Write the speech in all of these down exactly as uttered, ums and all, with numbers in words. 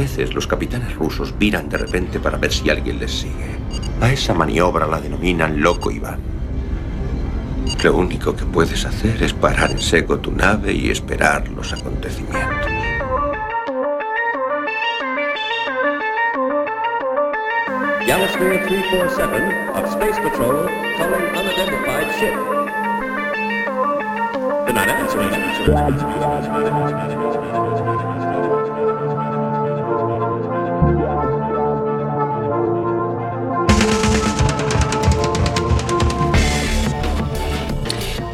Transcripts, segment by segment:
veces los capitanes rusos viran de repente para ver si alguien les sigue. A esa maniobra la denominan loco Iván. Lo único que puedes hacer es parar en seco tu nave y esperar los acontecimientos. Galasphere three forty-seven of Space Patrol calling unidentified ship. Good night,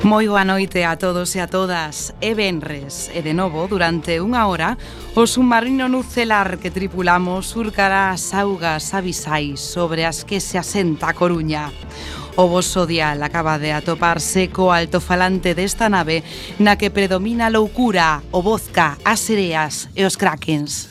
Moi boa noite a todos e a todas. É venres e de novo, durante unha hora, o submarino nucelar que tripulamos surcará as augas abisais sobre as que se asenta a Coruña. O voso dial acaba de atoparse co altofalante desta nave na que predomina a loucura, o vodka, as sereas e os krakens.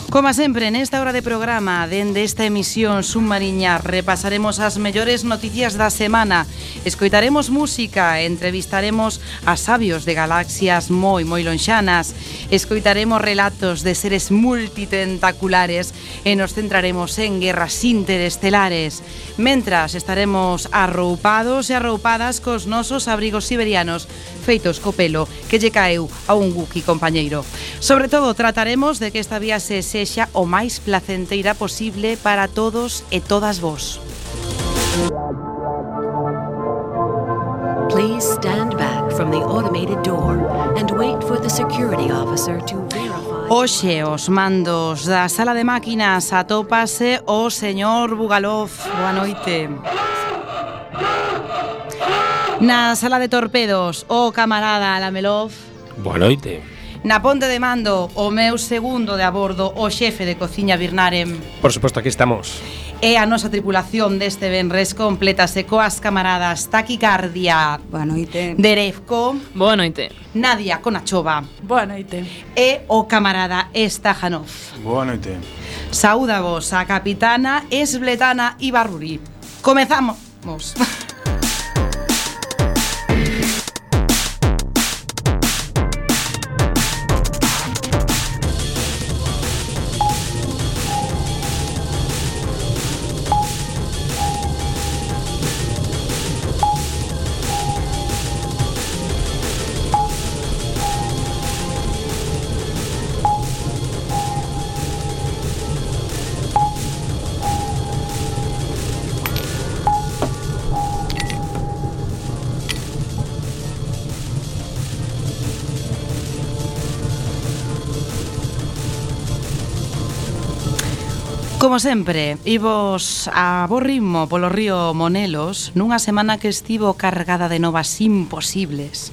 Como sempre, nesta hora de programa, dende esta emisión submariña, repasaremos as mellores noticias da semana, escoitaremos música, entrevistaremos a sabios de galaxias moi moi lonxanas, escoitaremos relatos de seres multitentaculares e nos centraremos en guerras interestelares, mentras estaremos arroupados e arroupadas cos nosos abrigos siberianos feitos co pelo que lle caeu a un Wookiee compañeiro. Sobre todo, trataremos de que esta viaxe sexa o máis placenteira posible para todos e todas vos. Please stand back from the automated door and wait for the security officer to verify. Hoxe, os mandos da sala de máquinas atópase o señor Bugalov. Boa noite. Na sala de torpedos, o camarada Lamelov. Boa noite. Na ponte de mando, o meu segundo de a bordo, o xefe de cociña Birnaren. Por suposto, aquí estamos. E a nosa tripulación deste venres complétase coas camaradas Taquicardia. Boa noite. Derevko. Boa noite. Nadia Konachova. Boa noite. E o camarada Stajanov. Boa noite. Saúdavos a capitana Esbletana Ibarruri. Comezamos. Como sempre, imos a bo ritmo polo río Monelos nunha semana que estivo cargada de novas imposibles.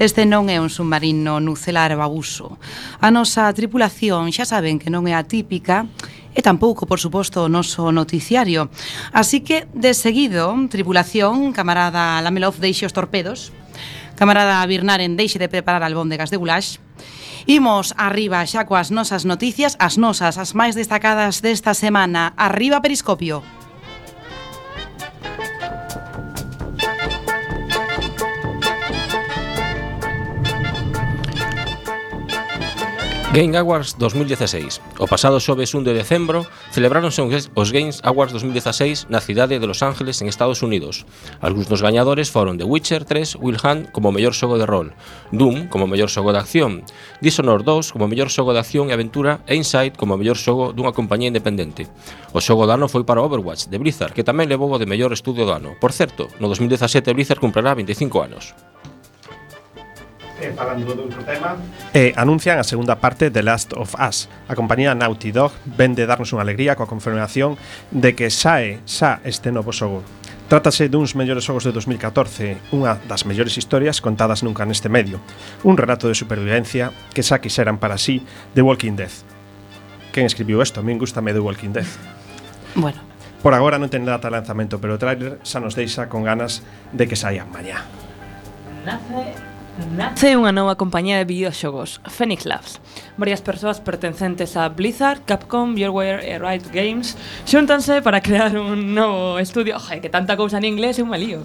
Este non é un submarino nucelar babuso. A nosa tripulación xa saben que non é atípica e tampouco, por suposto, o noso noticiario. Así que, de seguido, tripulación, camarada Lamelov, deixe os torpedos, camarada Birnaren, deixe de preparar albóndegas de goulash. Imos arriba xa coas nosas noticias, as nosas, as máis destacadas desta semana. Arriba Periscopio. Game Awards dos mil dieciséis. O pasado xoves un de decembro celebráronse os Games Awards dos mil dieciséis na cidade de Los Ángeles, en Estados Unidos. Algúns dos gañadores foron The Witcher tres, Wild Hunt como mellor xogo de rol, Doom como mellor xogo de acción, Dishonored dos como mellor xogo de acción e aventura e Inside como mellor xogo dunha compañía independente. O xogo do ano foi para Overwatch, de Blizzard, que tamén levou o de mellor estudio do ano. Por certo, no dos mil dezasete Blizzard cumprará vinte e cinco anos. E falando do outro tema, eh, anuncian a segunda parte de Last of Us. A compañía Naughty Dog ven de darnos unha alegría coa confirmación de que sae xa este novo xogo. Trátase duns mellores xogos de dos mil catorce, unha das mellores historias contadas nunca neste medio, un relato de supervivencia que xa quixeran para sí The Walking Dead. Quen escribiu isto? A min gustame The Walking Dead. Bueno. Por agora non ten data de lanzamento, pero o tráiler xa nos deixa con ganas de que saia mañá. Nace Nace unha nova compañía de videoxogos, Phoenix Labs. Varias persoas pertencentes a Blizzard, Capcom, BioWare e Riot Games xúntanse para crear un novo estudio. Oje, que tanta cousa en inglés é un malío.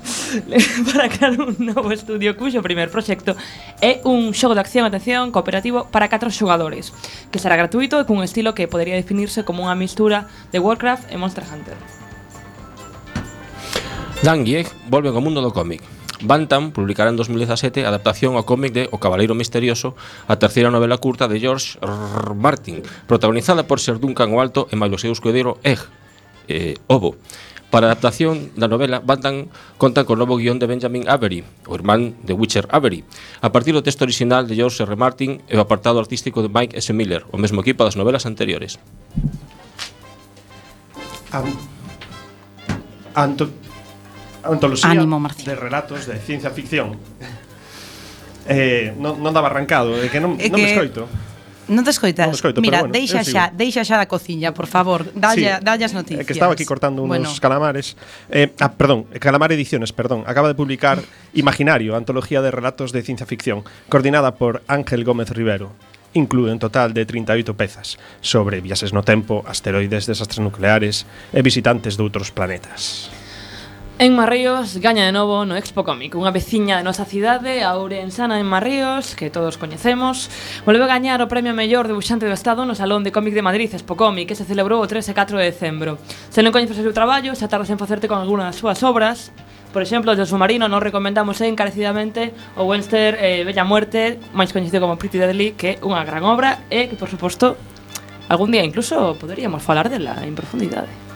Para crear un novo estudio cuxo primer proxecto é un xogo de acción, atención, cooperativo para catro xogadores, que será gratuito e cun estilo que podería definirse como unha mistura de Warcraft e Monster Hunter. Dan e Egg volven ao mundo do cómic. Bantam publicará en dos mil dezasete a adaptación ao cómic de O Cabaleiro Misterioso, a terceira novela curta de George R. Martin, protagonizada por Sir Duncan o Alto e máis o seu escudeiro Egg, eh, Obo. Para a adaptación da novela, Bantam conta con o novo guión de Benjamin Avery, o irmán de Witcher Avery, a partir do texto original de George R. Martin e o apartado artístico de Mike S. Miller, o mesmo equipo das novelas anteriores. Um, Anto Antoloxía Ánimo, de relatos de ciencia ficción. eh, non, non daba arrancado, é que non, É non me que- escoito. Non te escoitas? Non escoito, Mira, pero bueno, deixa eu sigo. xa, deixa xa da cociña, por favor. Dalle, Sí, dalle as noticias. é que estaba aquí cortando unos Bueno, calamares. Eh, ah, perdón, Calamar Ediciones, perdón. Acaba de publicar Imaginario, antología de relatos de ciencia ficción, coordinada por Ángel Gómez Rivero. Inclúe un total de trinta e oito pezas sobre viaxes no tempo, asteroides, desastres nucleares e visitantes de outros planetas. En Marríos gaña de novo no Expo Cómic, unha veciña de nosa cidade, a ourensana en Marríos, que todos coñecemos, volveu a gañar o premio mellor debuxante do Estado no Salón de Cómic de Madrid, Expo Cómic, que se celebrou o tres e catro de decembro. Se non coñeces o seu traballo, xa tardas en facerte con algunha das súas obras. Por exemplo, do submarino nos recomendamos encarecidamente o western eh, Bella Muerte, máis coñecido como Pretty Deadly, que é unha gran obra e que, por suposto, algún día incluso poderíamos falar dela en profundidade.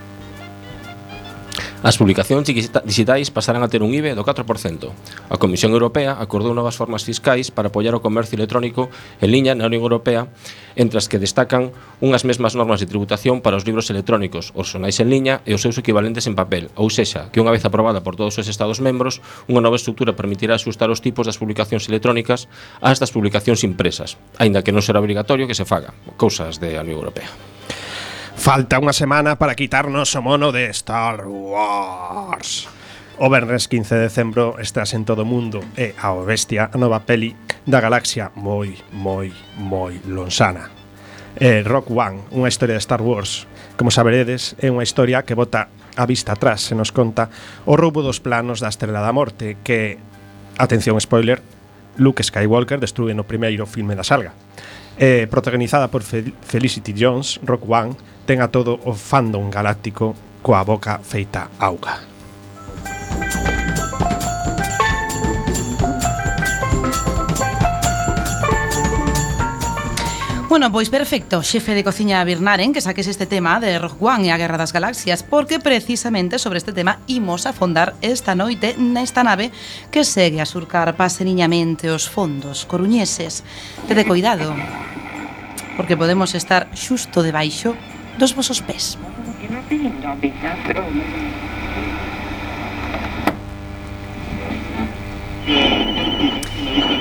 As publicacións digitais pasarán a ter un I V E do catro por cento. A Comisión Europea acordou novas formas fiscais para apoiar o comercio electrónico en liña na Unión Europea, entre as que destacan unhas mesmas normas de tributación para os libros electrónicos, os xornais en liña e os seus equivalentes en papel, ou sexa, que unha vez aprobada por todos os Estados membros, unha nova estrutura permitirá axustar os tipos das publicacións electrónicas ás das publicacións impresas, aínda que non será obrigatorio que se faga, cousas da Unión Europea. Falta unha semana para quitarnos o mono de Star Wars. O venres quince de decembro estás en todo o mundo e a O Bestia, a nova peli da galaxia moi, moi, moi lonsana. E Rogue One, unha historia de Star Wars. Como saberedes, é unha historia que bota a vista atrás, se nos conta o roubo dos planos da Estrela da Morte, que, atención spoiler, Luke Skywalker destrúe no primeiro filme da saga. Eh, protagonizada por Fel- Felicity Jones, Rogue One ten a todo o fandom galáctico coa boca feita auga. Bueno, pois perfecto, xefe de cociña Birnaren, que saques este tema de Rogue One e a Guerra das Galaxias, porque precisamente sobre este tema imos a fondar esta noite nesta nave que segue a surcar paseniñamente os fondos coruñeses. Tede cuidado, porque podemos estar xusto debaixo dos vosos pés.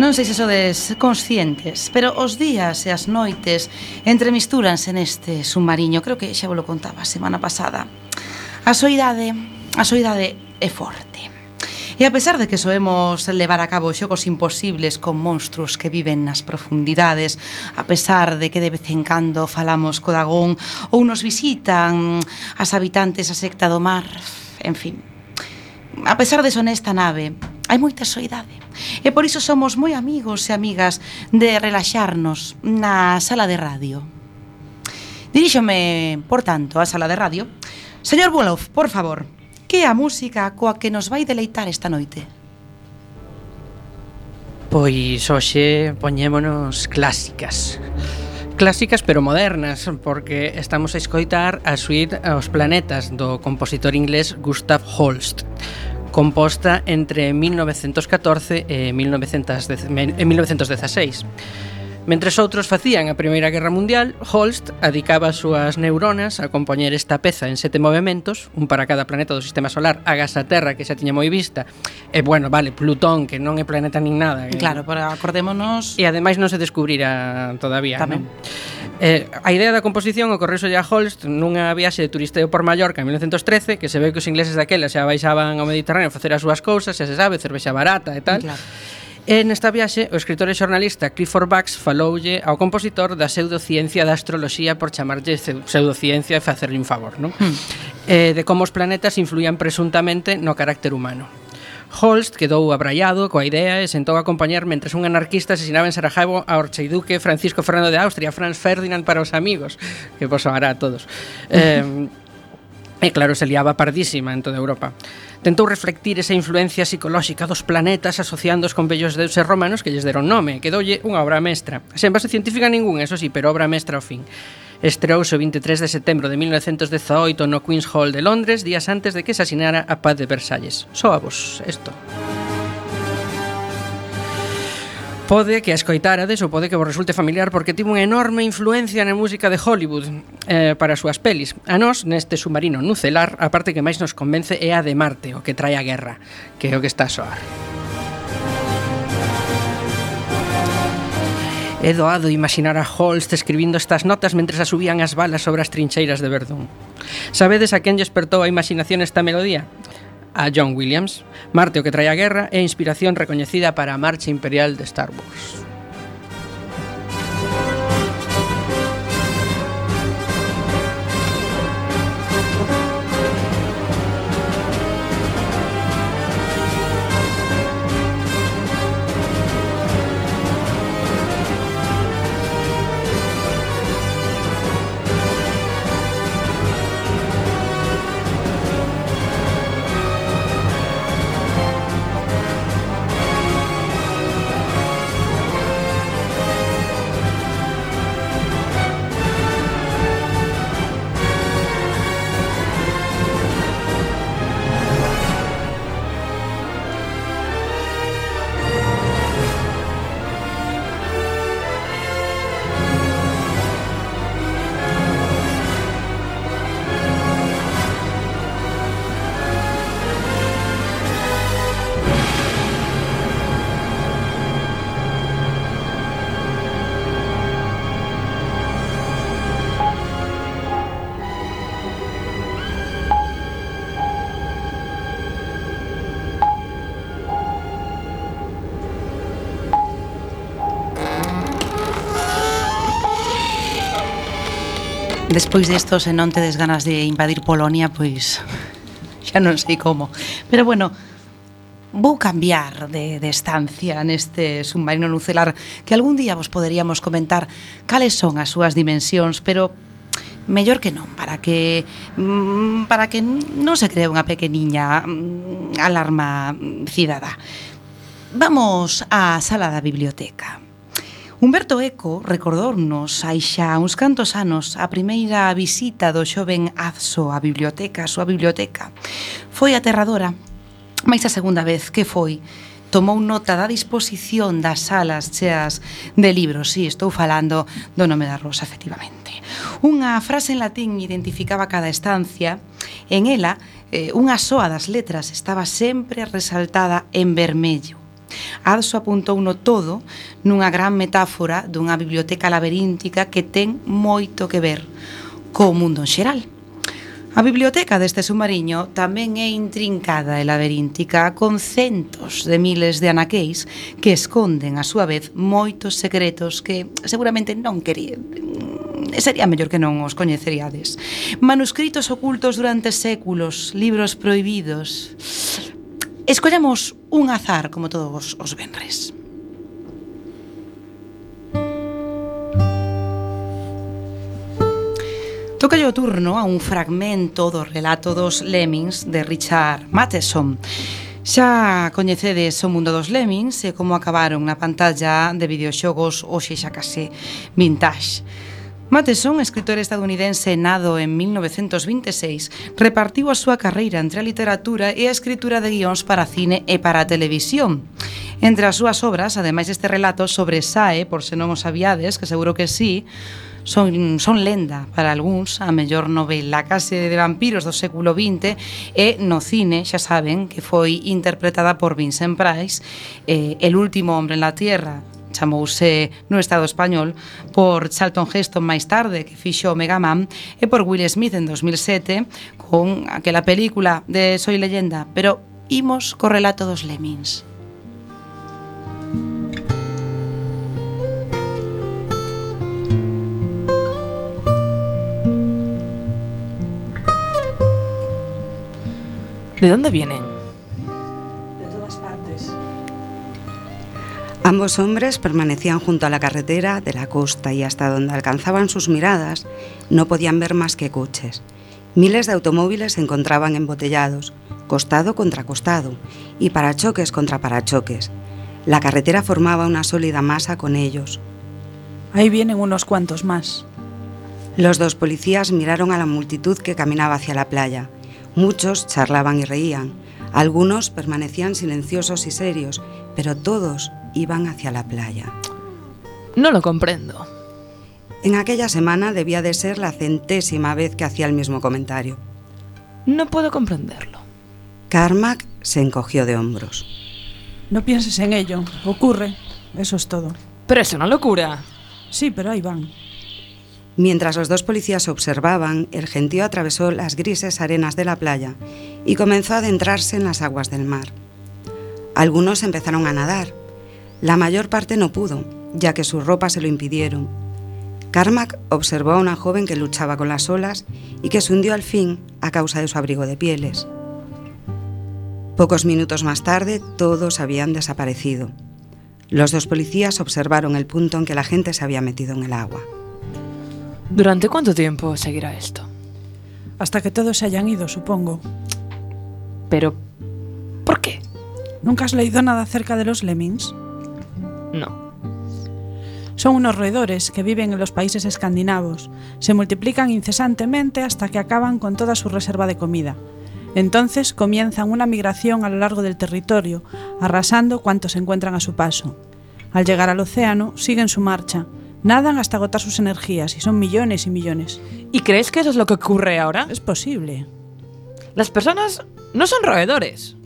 Non sei se sodes conscientes, pero os días e as noites entremistúranse neste submarino. Creo que xa vos lo contaba a semana pasada. A soidade, a soidade é forte. E a pesar de que soemos levar a cabo xogos imposibles con monstruos que viven nas profundidades, a pesar de que de vez en cando falamos co Dagón ou nos visitan as habitantes a secta do mar, en fin, a pesar de eso nesta nave hai moita soidade. E por iso somos moi amigos e amigas de relaxarnos na sala de radio. Diríxome, por tanto, á sala de radio. Señor Bulof, por favor, que é a música coa que nos vai deleitar esta noite? Pois hoxe poñémonos clásicas. Clásicas pero modernas, porque estamos a escoitar a suite aos planetas do compositor inglés Gustav Holst, composta entre mil novecentos catorce e mil novecentos dezaseis. Mentres outros facían a Primeira Guerra Mundial, Holst adicaba as súas neuronas a compoñer esta peza en sete movementos, un para cada planeta do Sistema Solar, agás a Terra, que xa tiña moi vista, e, bueno, vale, Plutón, que non é planeta nin nada. Claro, pero acordémonos... E ademais non se descubrira todavía, Tamén. non? Eh, a idea da composición ocorreuse a Holst nunha viaxe de turisteo por Mallorca en mil novecentos trece, que se ve que os ingleses daquela xa baixaban ao Mediterráneo a facer as súas cousas, xa se sabe, cervexa barata e tal. Claro. E nesta viaxe, o escritor e xornalista Clifford Bucks faloulle ao compositor da pseudociencia da astroloxía por chamarlle pseudociencia e facerlle un favor, non? Hmm. E de como os planetas influían presuntamente no carácter humano. Holst quedou abraiado coa idea e sentou a acompañar mentres un anarquista asesinaba en Sarajevo ao archeiduque Francisco Fernando de Austria, Franz Ferdinand para os amigos, que vos soará a todos. eh, e claro, se liaba pardísima en toda Europa. Tentou reflectir esa influencia psicolóxica dos planetas asociándoos con vellos deuses romanos que lles deron nome. Quedoulle unha obra mestra. Sen base científica ningún, eso sí, pero obra mestra ao fin. Estreouse o veintitrés de setembro de mil novecientos dezaoito no Queen's Hall de Londres, días antes de que se asinara a Paz de Versalles. Soavos isto. Pode que a escoitarades ou pode que vos resulte familiar porque tivo unha enorme influencia na música de Hollywood eh, para as súas pelis. A nós, neste submarino nucelar, a parte que máis nos convence é a de Marte, o que trae a guerra, que é o que está a soar. É doado imaginar a Holst escribindo estas notas mentres a subían as balas sobre as trincheiras de Verdún. Sabedes a quen lle despertou a imaginación esta melodía? A John Williams. Marte, o que trae a guerra, é inspiración recoñecida para a marcha imperial de Star Wars. Despois desto, se non tedes ganas de invadir Polonia, pois xa non sei como. Pero bueno, vou cambiar de, de estancia neste submarino nucelar, que algún día vos poderíamos comentar cales son as súas dimensións, pero mellor que non, para que para que non se cree unha pequeniña alarma cidadá. Vamos á sala da biblioteca. Humberto Eco recordounos hai xa uns cantos anos a primeira visita do xoven Azzo á biblioteca, a súa biblioteca. Foi aterradora, mais a segunda vez que foi, tomou nota da disposición das salas cheas de libros. Si, estou falando do Nome da Rosa, efectivamente. Unha frase en latín identificaba cada estancia. En ela, eh, unha soa das letras estaba sempre resaltada en vermello. Azzo apuntouno todo nunha gran metáfora dunha biblioteca laberíntica que ten moito que ver co mundo en xeral. A biblioteca deste submarino tamén é intrincada e laberíntica, con centos de miles de anaqueis que esconden a súa vez moitos secretos que seguramente non querían. Sería mellor que non os coñeceríades. Manuscritos ocultos durante séculos, libros prohibidos. Escollamos un azar, como todos os venres. Tocalle o turno a un fragmento do relato dos Lemmings de Richard Matheson. Xa coñecedes o mundo dos Lemmings e como acabaron na pantalla de videoxogos hoxe xa case vintage. Matheson, escritor estadounidense nado en mil novecentos vinte e seis, repartiu a súa carreira entre a literatura e a escritura de guións para cine e para a televisión. Entre as súas obras, ademais deste relato, sobresae, por se non o sabíades, que seguro que sí, son, son lenda para algúns, a mellor novela case de vampiros do século vinte, e no cine, xa saben, que foi interpretada por Vincent Price, eh, El último hombre en la tierra, chamouse no Estado español por Charlton Heston máis tarde, que fixo Omega Man, e por Will Smith en dos mil sete con aquela película de Soy leyenda. Pero imos co relato dos Lemmings. ¿De dónde vienen? De todas partes. Ambos hombres permanecían junto a la carretera de la costa y hasta donde alcanzaban sus miradas no podían ver más que coches. Miles de automóviles se encontraban embotellados, costado contra costado y parachoques contra parachoques. La carretera formaba una sólida masa con ellos. Ahí vienen unos cuantos más. Los dos policías miraron a la multitud que caminaba hacia la playa. Muchos charlaban y reían. Algunos permanecían silenciosos y serios, pero todos iban hacia la playa. No lo comprendo. En aquella semana debía de ser la centésima vez que hacía el mismo comentario. No puedo comprenderlo. Carmack se encogió de hombros. No pienses en ello. Ocurre. Eso es todo. Pero es una locura. Sí, pero ahí van. Mientras los dos policías observaban, el gentío atravesó las grises arenas de la playa y comenzó a adentrarse en las aguas del mar. Algunos empezaron a nadar. La mayor parte no pudo, ya que sus ropas se lo impidieron. Carmack observó a una joven que luchaba con las olas y que se hundió al fin a causa de su abrigo de pieles. Pocos minutos más tarde, todos habían desaparecido. Los dos policías observaron el punto en que la gente se había metido en el agua. ¿Durante cuánto tiempo seguirá esto? Hasta que todos se hayan ido, supongo. Pero, ¿por qué? ¿Nunca has leído nada acerca de los lemmings? No. Son unos roedores que viven en los países escandinavos. Se multiplican incesantemente hasta que acaban con toda su reserva de comida. Entonces comienzan una migración a lo largo del territorio, arrasando cuantos se encuentran a su paso. Al llegar al océano, siguen su marcha. Nadan hasta agotar sus energías y son millones y millones. ¿Y crees que eso es lo que ocurre ahora? Es posible. Las personas no son roedores.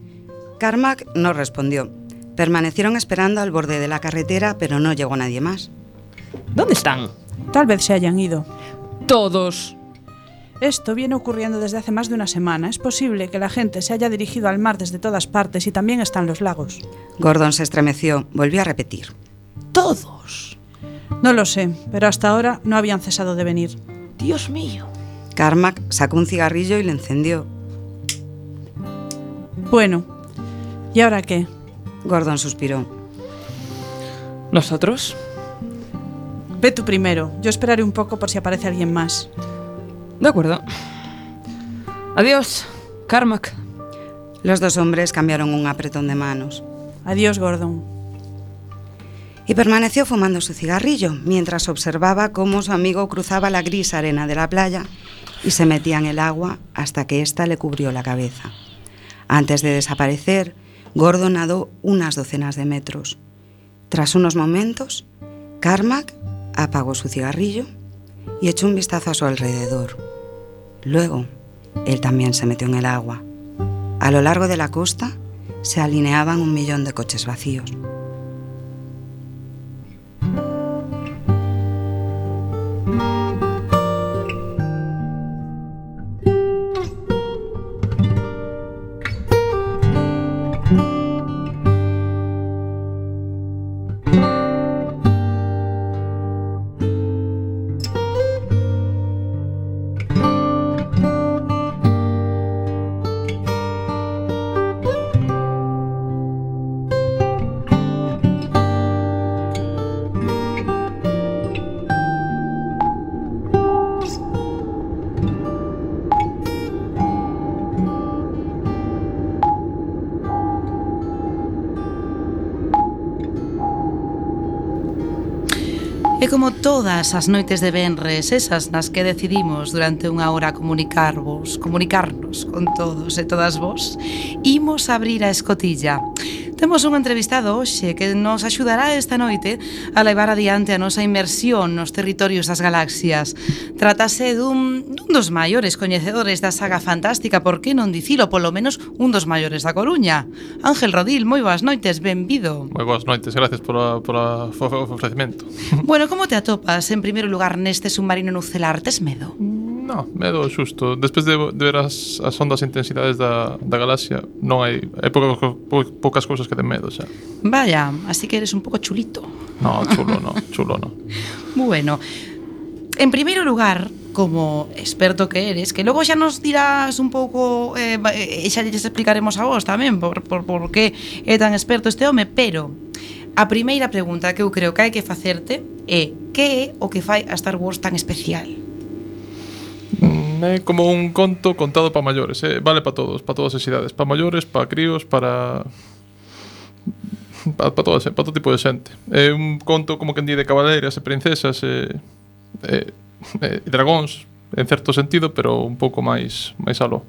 Carmack no respondió. Permanecieron esperando al borde de la carretera, pero no llegó nadie más. ¿Dónde están? Tal vez se hayan ido. Todos. Esto viene ocurriendo desde hace más de una semana. Es posible que la gente se haya dirigido al mar desde todas partes y también están los lagos. Gordon se estremeció. Volvió a repetir. ¿Todos? No lo sé, pero hasta ahora no habían cesado de venir. Dios mío. Carmack sacó un cigarrillo y lo encendió. Bueno, ¿y ahora qué? Gordon suspiró. ¿Nosotros? Ve tú primero. Yo esperaré un poco por si aparece alguien más. De acuerdo. Adiós, Carmack. Los dos hombres cambiaron un apretón de manos. Adiós, Gordon. Y permaneció fumando su cigarrillo mientras observaba cómo su amigo cruzaba la gris arena de la playa y se metía en el agua hasta que ésta le cubrió la cabeza. Antes de desaparecer, Gordon nadó unas docenas de metros. Tras unos momentos, Carmack apagó su cigarrillo y echó un vistazo a su alrededor. Luego, él también se metió en el agua. A lo largo de la costa se alineaban un millón de coches vacíos. E como todas as noites de venres, esas nas que decidimos durante unha hora comunicarvos, comunicarnos con todos e todas vos, imos abrir a escotilla. Temos un entrevistado hoxe que nos axudará esta noite a levar adiante a nosa inmersión nos territorios das galaxias. Trátase dun, dun dos maiores coñecedores da saga fantástica, por que non dicilo, polo menos un dos maiores da Coruña. Ángel Rodil, moi boas noites, benvido. Moi boas noites, gracias por o ofrecemento. Bueno, como te atopas, en primeiro lugar, neste submarino nucelar? Tes medo? No, medo xusto. Despois de, de ver as, as ondas e intensidades da, da galaxia, non hai, hai poucas, poucas cousas que den medo xa. Vaya, así que eres un pouco chulito. No, chulo no, chulo no. Bueno, en primeiro lugar, como experto que eres, que logo xa nos dirás un pouco, eh, e xa lles explicaremos a vos tamén por, por, por que é tan experto este home, pero a primeira pregunta que eu creo que hai que facerte é que é o que fai a Star Wars tan especial? É como un conto contado para maiores, eh? Vale para todos, para todas as idades, para maiores, para críos, para para pa todo, pa todo tipo de xente. É un conto como que en di de cabaleiras e princesas e, e, e dragóns en certo sentido, pero un pouco máis máis aló,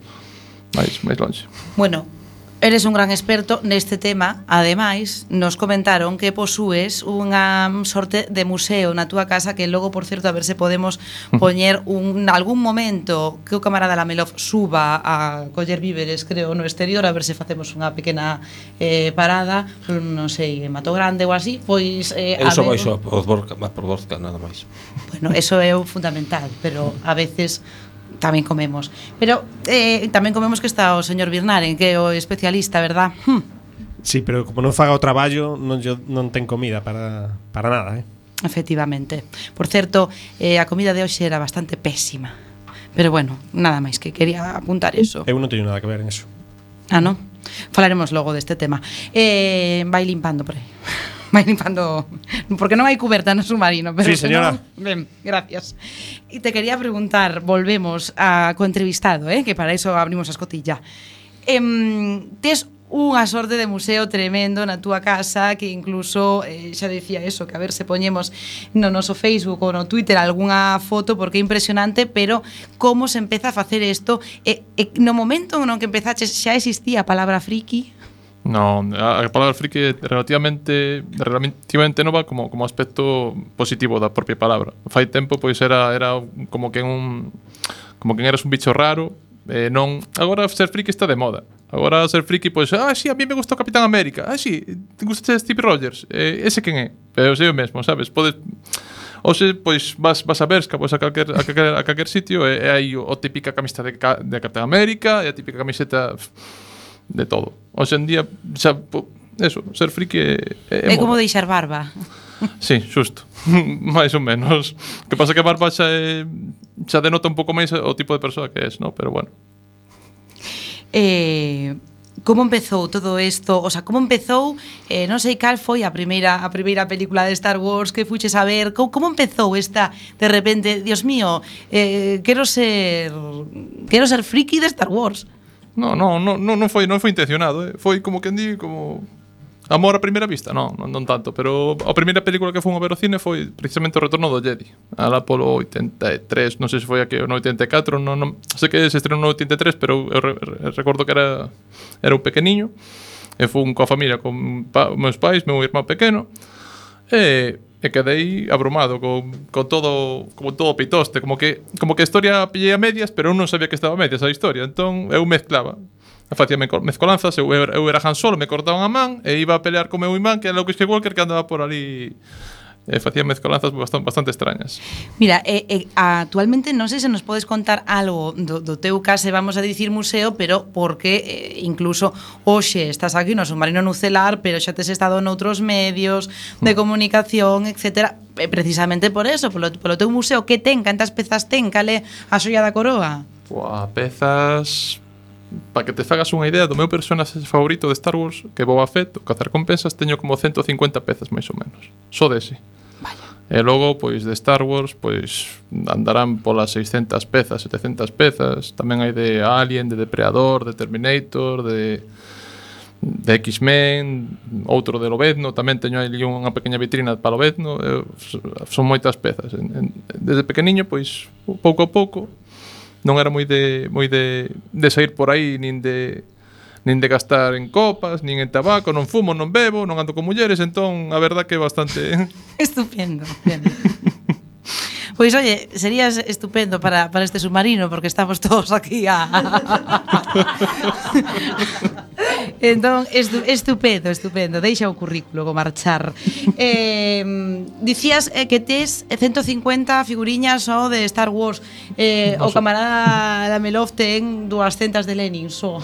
máis máis longe. Bueno, eres un gran experto neste tema. Ademais, nos comentaron que posúes unha sorte de museo na túa casa, que logo, por certo, a ver se podemos poñer un algún momento que o camarada Lamelov suba a coller víveres, creo, no exterior, a ver se facemos unha pequena eh, parada, non sei, en Mato Grande ou así, pois eh, Eu só baixo por vodka, por vodka, nada máis. Bueno, eso é o fundamental, pero a veces tamén comemos. Pero eh, tamén comemos que está o señor Birnaren, que é o especialista, verdad? Hm. Sí, pero como non faga o traballo, non, yo, non ten comida para, para nada, eh? Efectivamente. Por certo, eh, a comida de hoxe era bastante pésima. Pero bueno, nada máis que quería apuntar eso. Eu non teño nada que ver en eso. Ah, non? Falaremos logo deste tema. Eh, vai limpando por aí. Vai limpando, porque non hai cuberta no submarino, pero sí, señora. No, ben, gracias. E te quería preguntar, volvemos a co entrevistado, eh, que para iso abrimos a escotilla. Em, tes unha sorte de museo tremendo na túa casa, que incluso eh, xa dicía eso, que a ver se poñemos no noso Facebook ou no Twitter algunha foto, porque é impresionante, pero como se empeza a facer isto? E, e no momento no que empezaches xa existía a palabra friki? No, a palabra friki é relativamente relativamente nova como como aspecto positivo da propia palabra. Fai tempo pois era era como que un como que eras un bicho raro, eh, non, agora ser friki está de moda. Agora ser friki pois, ah, si, sí, a mí me gustou Capitán América. Ah, si, sí, te gusta Steve Rogers. Eh, ese quen é? Pero sei o mesmo, sabes? Podes Oxe, pois vas, vas a Berska, pois a calquer, a calquer, a calquer sitio e, e hai o, o típica camiseta de, de Capitán América e a típica camiseta de todo. Hoxe en día xa, eso, ser friki é, é, é como deixar barba. Sí, xusto. Mais ou menos. Que pasa que a barba xa é, xa denota un pouco máis o tipo de persoa que és, ¿no? Pero bueno. Eh, como empezou todo isto? O sea, como empezou? Eh, non sei cal foi a primeira a primeira película de Star Wars que fuches a ver. Como, como empezou esta de repente, Dios mío, eh, quero ser quero ser friki de Star Wars? No, no, no, no, non foi non foi intencionado, eh. Foi como que di, como amor a primeira vista, non, non, non tanto, pero a primeira película que fun a ver ao cine foi precisamente o Retorno do Jedi, alá polo oitenta e tres, non sei se foi aquí no oitenta e catro, non, non, sei que se estrenou no oitenta e tres, pero eu re, re, recordo que era era un pequeniño, e fun coa familia, con pa, meus pais, meu irmán pequeno, e e quedei abrumado con, con todo como todo pitoste, como que como que a historia pillei a medias, pero eu non sabía que estaba a medias a historia, entón eu mezclaba. Facía mezcolanzas, eu era, eu era Han Solo, me cortaban a man e iba a pelear con meu imán, que era Luke Skywalker, que andaba por ali e facía mezcolanzas bastante, bastante extrañas. Mira, eh, eh, actualmente non sei se nos podes contar algo do, do teu case, vamos a dicir museo, pero porque eh, incluso hoxe estás aquí no submarino nucelar, pero xa tes estado noutros medios de comunicación, etcétera, eh, precisamente por eso, polo, polo teu museo, que ten, cantas pezas ten, cale a xoia da coroa? Buah, pezas... Para que te fagas unha idea do meu personaxe favorito de Star Wars, que é Boba Fett, o cazarcompensas, teño como ciento cincuenta pezas máis ou menos. Só dese. Vaya. E logo, pois, de Star Wars, pois, andarán polas seiscentas pezas, setecentas pezas. Tamén hai de Alien, de Depredador, de Terminator, de, de X-Men, outro de Lobezno. Tamén teño ali unha pequena vitrina para Lobezno. E, son moitas pezas. Desde pequeniño, pois, pouco a pouco, non era moi de moi de, de sair por aí, nin de nin de gastar en copas, nin en tabaco, non fumo, non bebo, non ando con mulleres, entón a verdad que é bastante estupendo. Pois oye, serías estupendo para, para este submarino, porque estamos todos aquí a... Entón, estu, estupendo, estupendo. Deixa o currículo go marchar. Eh, dicías eh, que tes ciento cincuenta figuriñas só de Star Wars. Eh, o camarada Lamelov ten doscientas de Lenin só.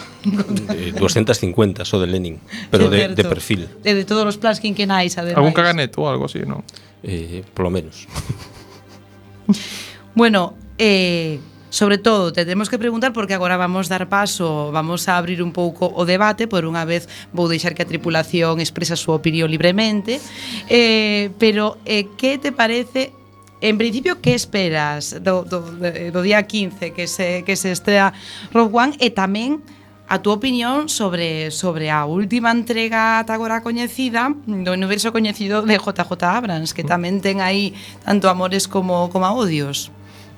Eh, doscientas cincuenta só de Lenin, pero de, de perfil. De, de todos os plans quinquenais, ademais. Algún caganeto ou algo así, non? Eh, polo menos. Bueno, Eh, sobre todo, te temos que preguntar porque agora vamos dar paso, vamos a abrir un pouco o debate, por unha vez vou deixar que a tripulación expresa a súa opinión libremente, eh, pero eh, que te parece, en principio, que esperas do, do, do día quince que se, que se estrea Rogue One, e tamén a túa opinión sobre, sobre a última entrega ata agora coñecida do universo coñecido de J J Abrams, que tamén ten aí tanto amores como, como odios.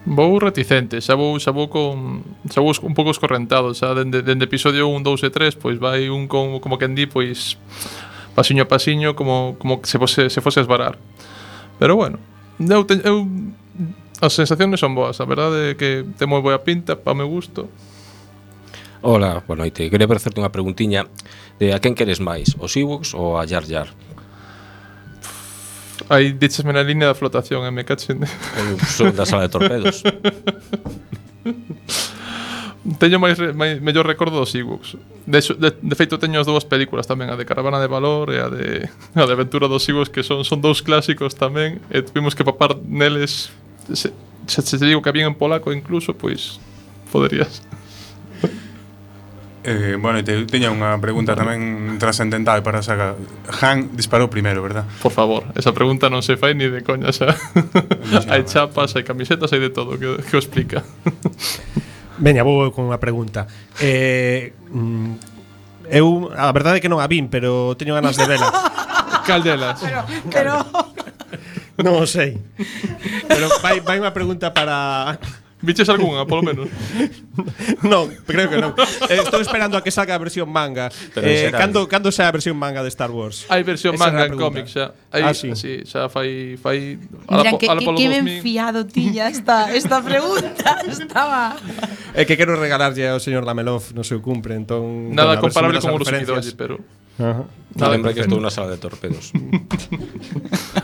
Vou reticente, xa vou, xa vou con xa vou un pouco escorrentado, xa dende, dende episodio un, dous e tres, pois vai un con, como quen di, pois pasiño a pasiño, como, como se fose, se fose a esvarar. Pero bueno, eu, te, eu as sensacións son boas, a verdade é que ten moi boa pinta, pa meu gusto. Hola, boa noite. Quería facerte unha preguntiña de a quen queres máis, os Ewoks ou a Jar Jar? Aí díchesme na línea da flotación, e me cachen. Son da sala de torpedos. Teño máis, máis mellor recordo dos Ewoks. De, de, de feito teño as dúas películas tamén, a de Caravana de Valor e a de a de Aventura dos Ewoks, que son son dous clásicos tamén, e tuvimos que papar neles. Se, se, se te digo que habían en polaco incluso, pois poderías. Eh, bueno, te, teña unha pregunta tamén trascendental para a saga. Han disparou primeiro, verdad? Por favor, esa pregunta non se fai ni de coña, xa. Hai chapas, hai camisetas, hai de todo que, que o explica. Veña, vou con unha pregunta. Eh, mm, eu, a verdade é que non a vin, pero teño ganas de vela. Cal delas? Pero, pero... Non sei. Pero vai, vai unha pregunta para... Viches algunha, polo menos? Non, creo que non. Eh, estou esperando a que salga a versión manga. Eh, cando, cando xa a versión manga de Star Wars? Hai versión Esa manga en cómic xa. Aí, ah, sí. sí, xa fai... fai Mira, que, que, que ben fiado tilla esta, esta pregunta. Estaba... É que quero regalarlle ao señor Lamelov no seu cumpre, entón... Nada comparable con Uruskidoji, pero... Uh-huh. No, lembra que estou na sala de torpedos.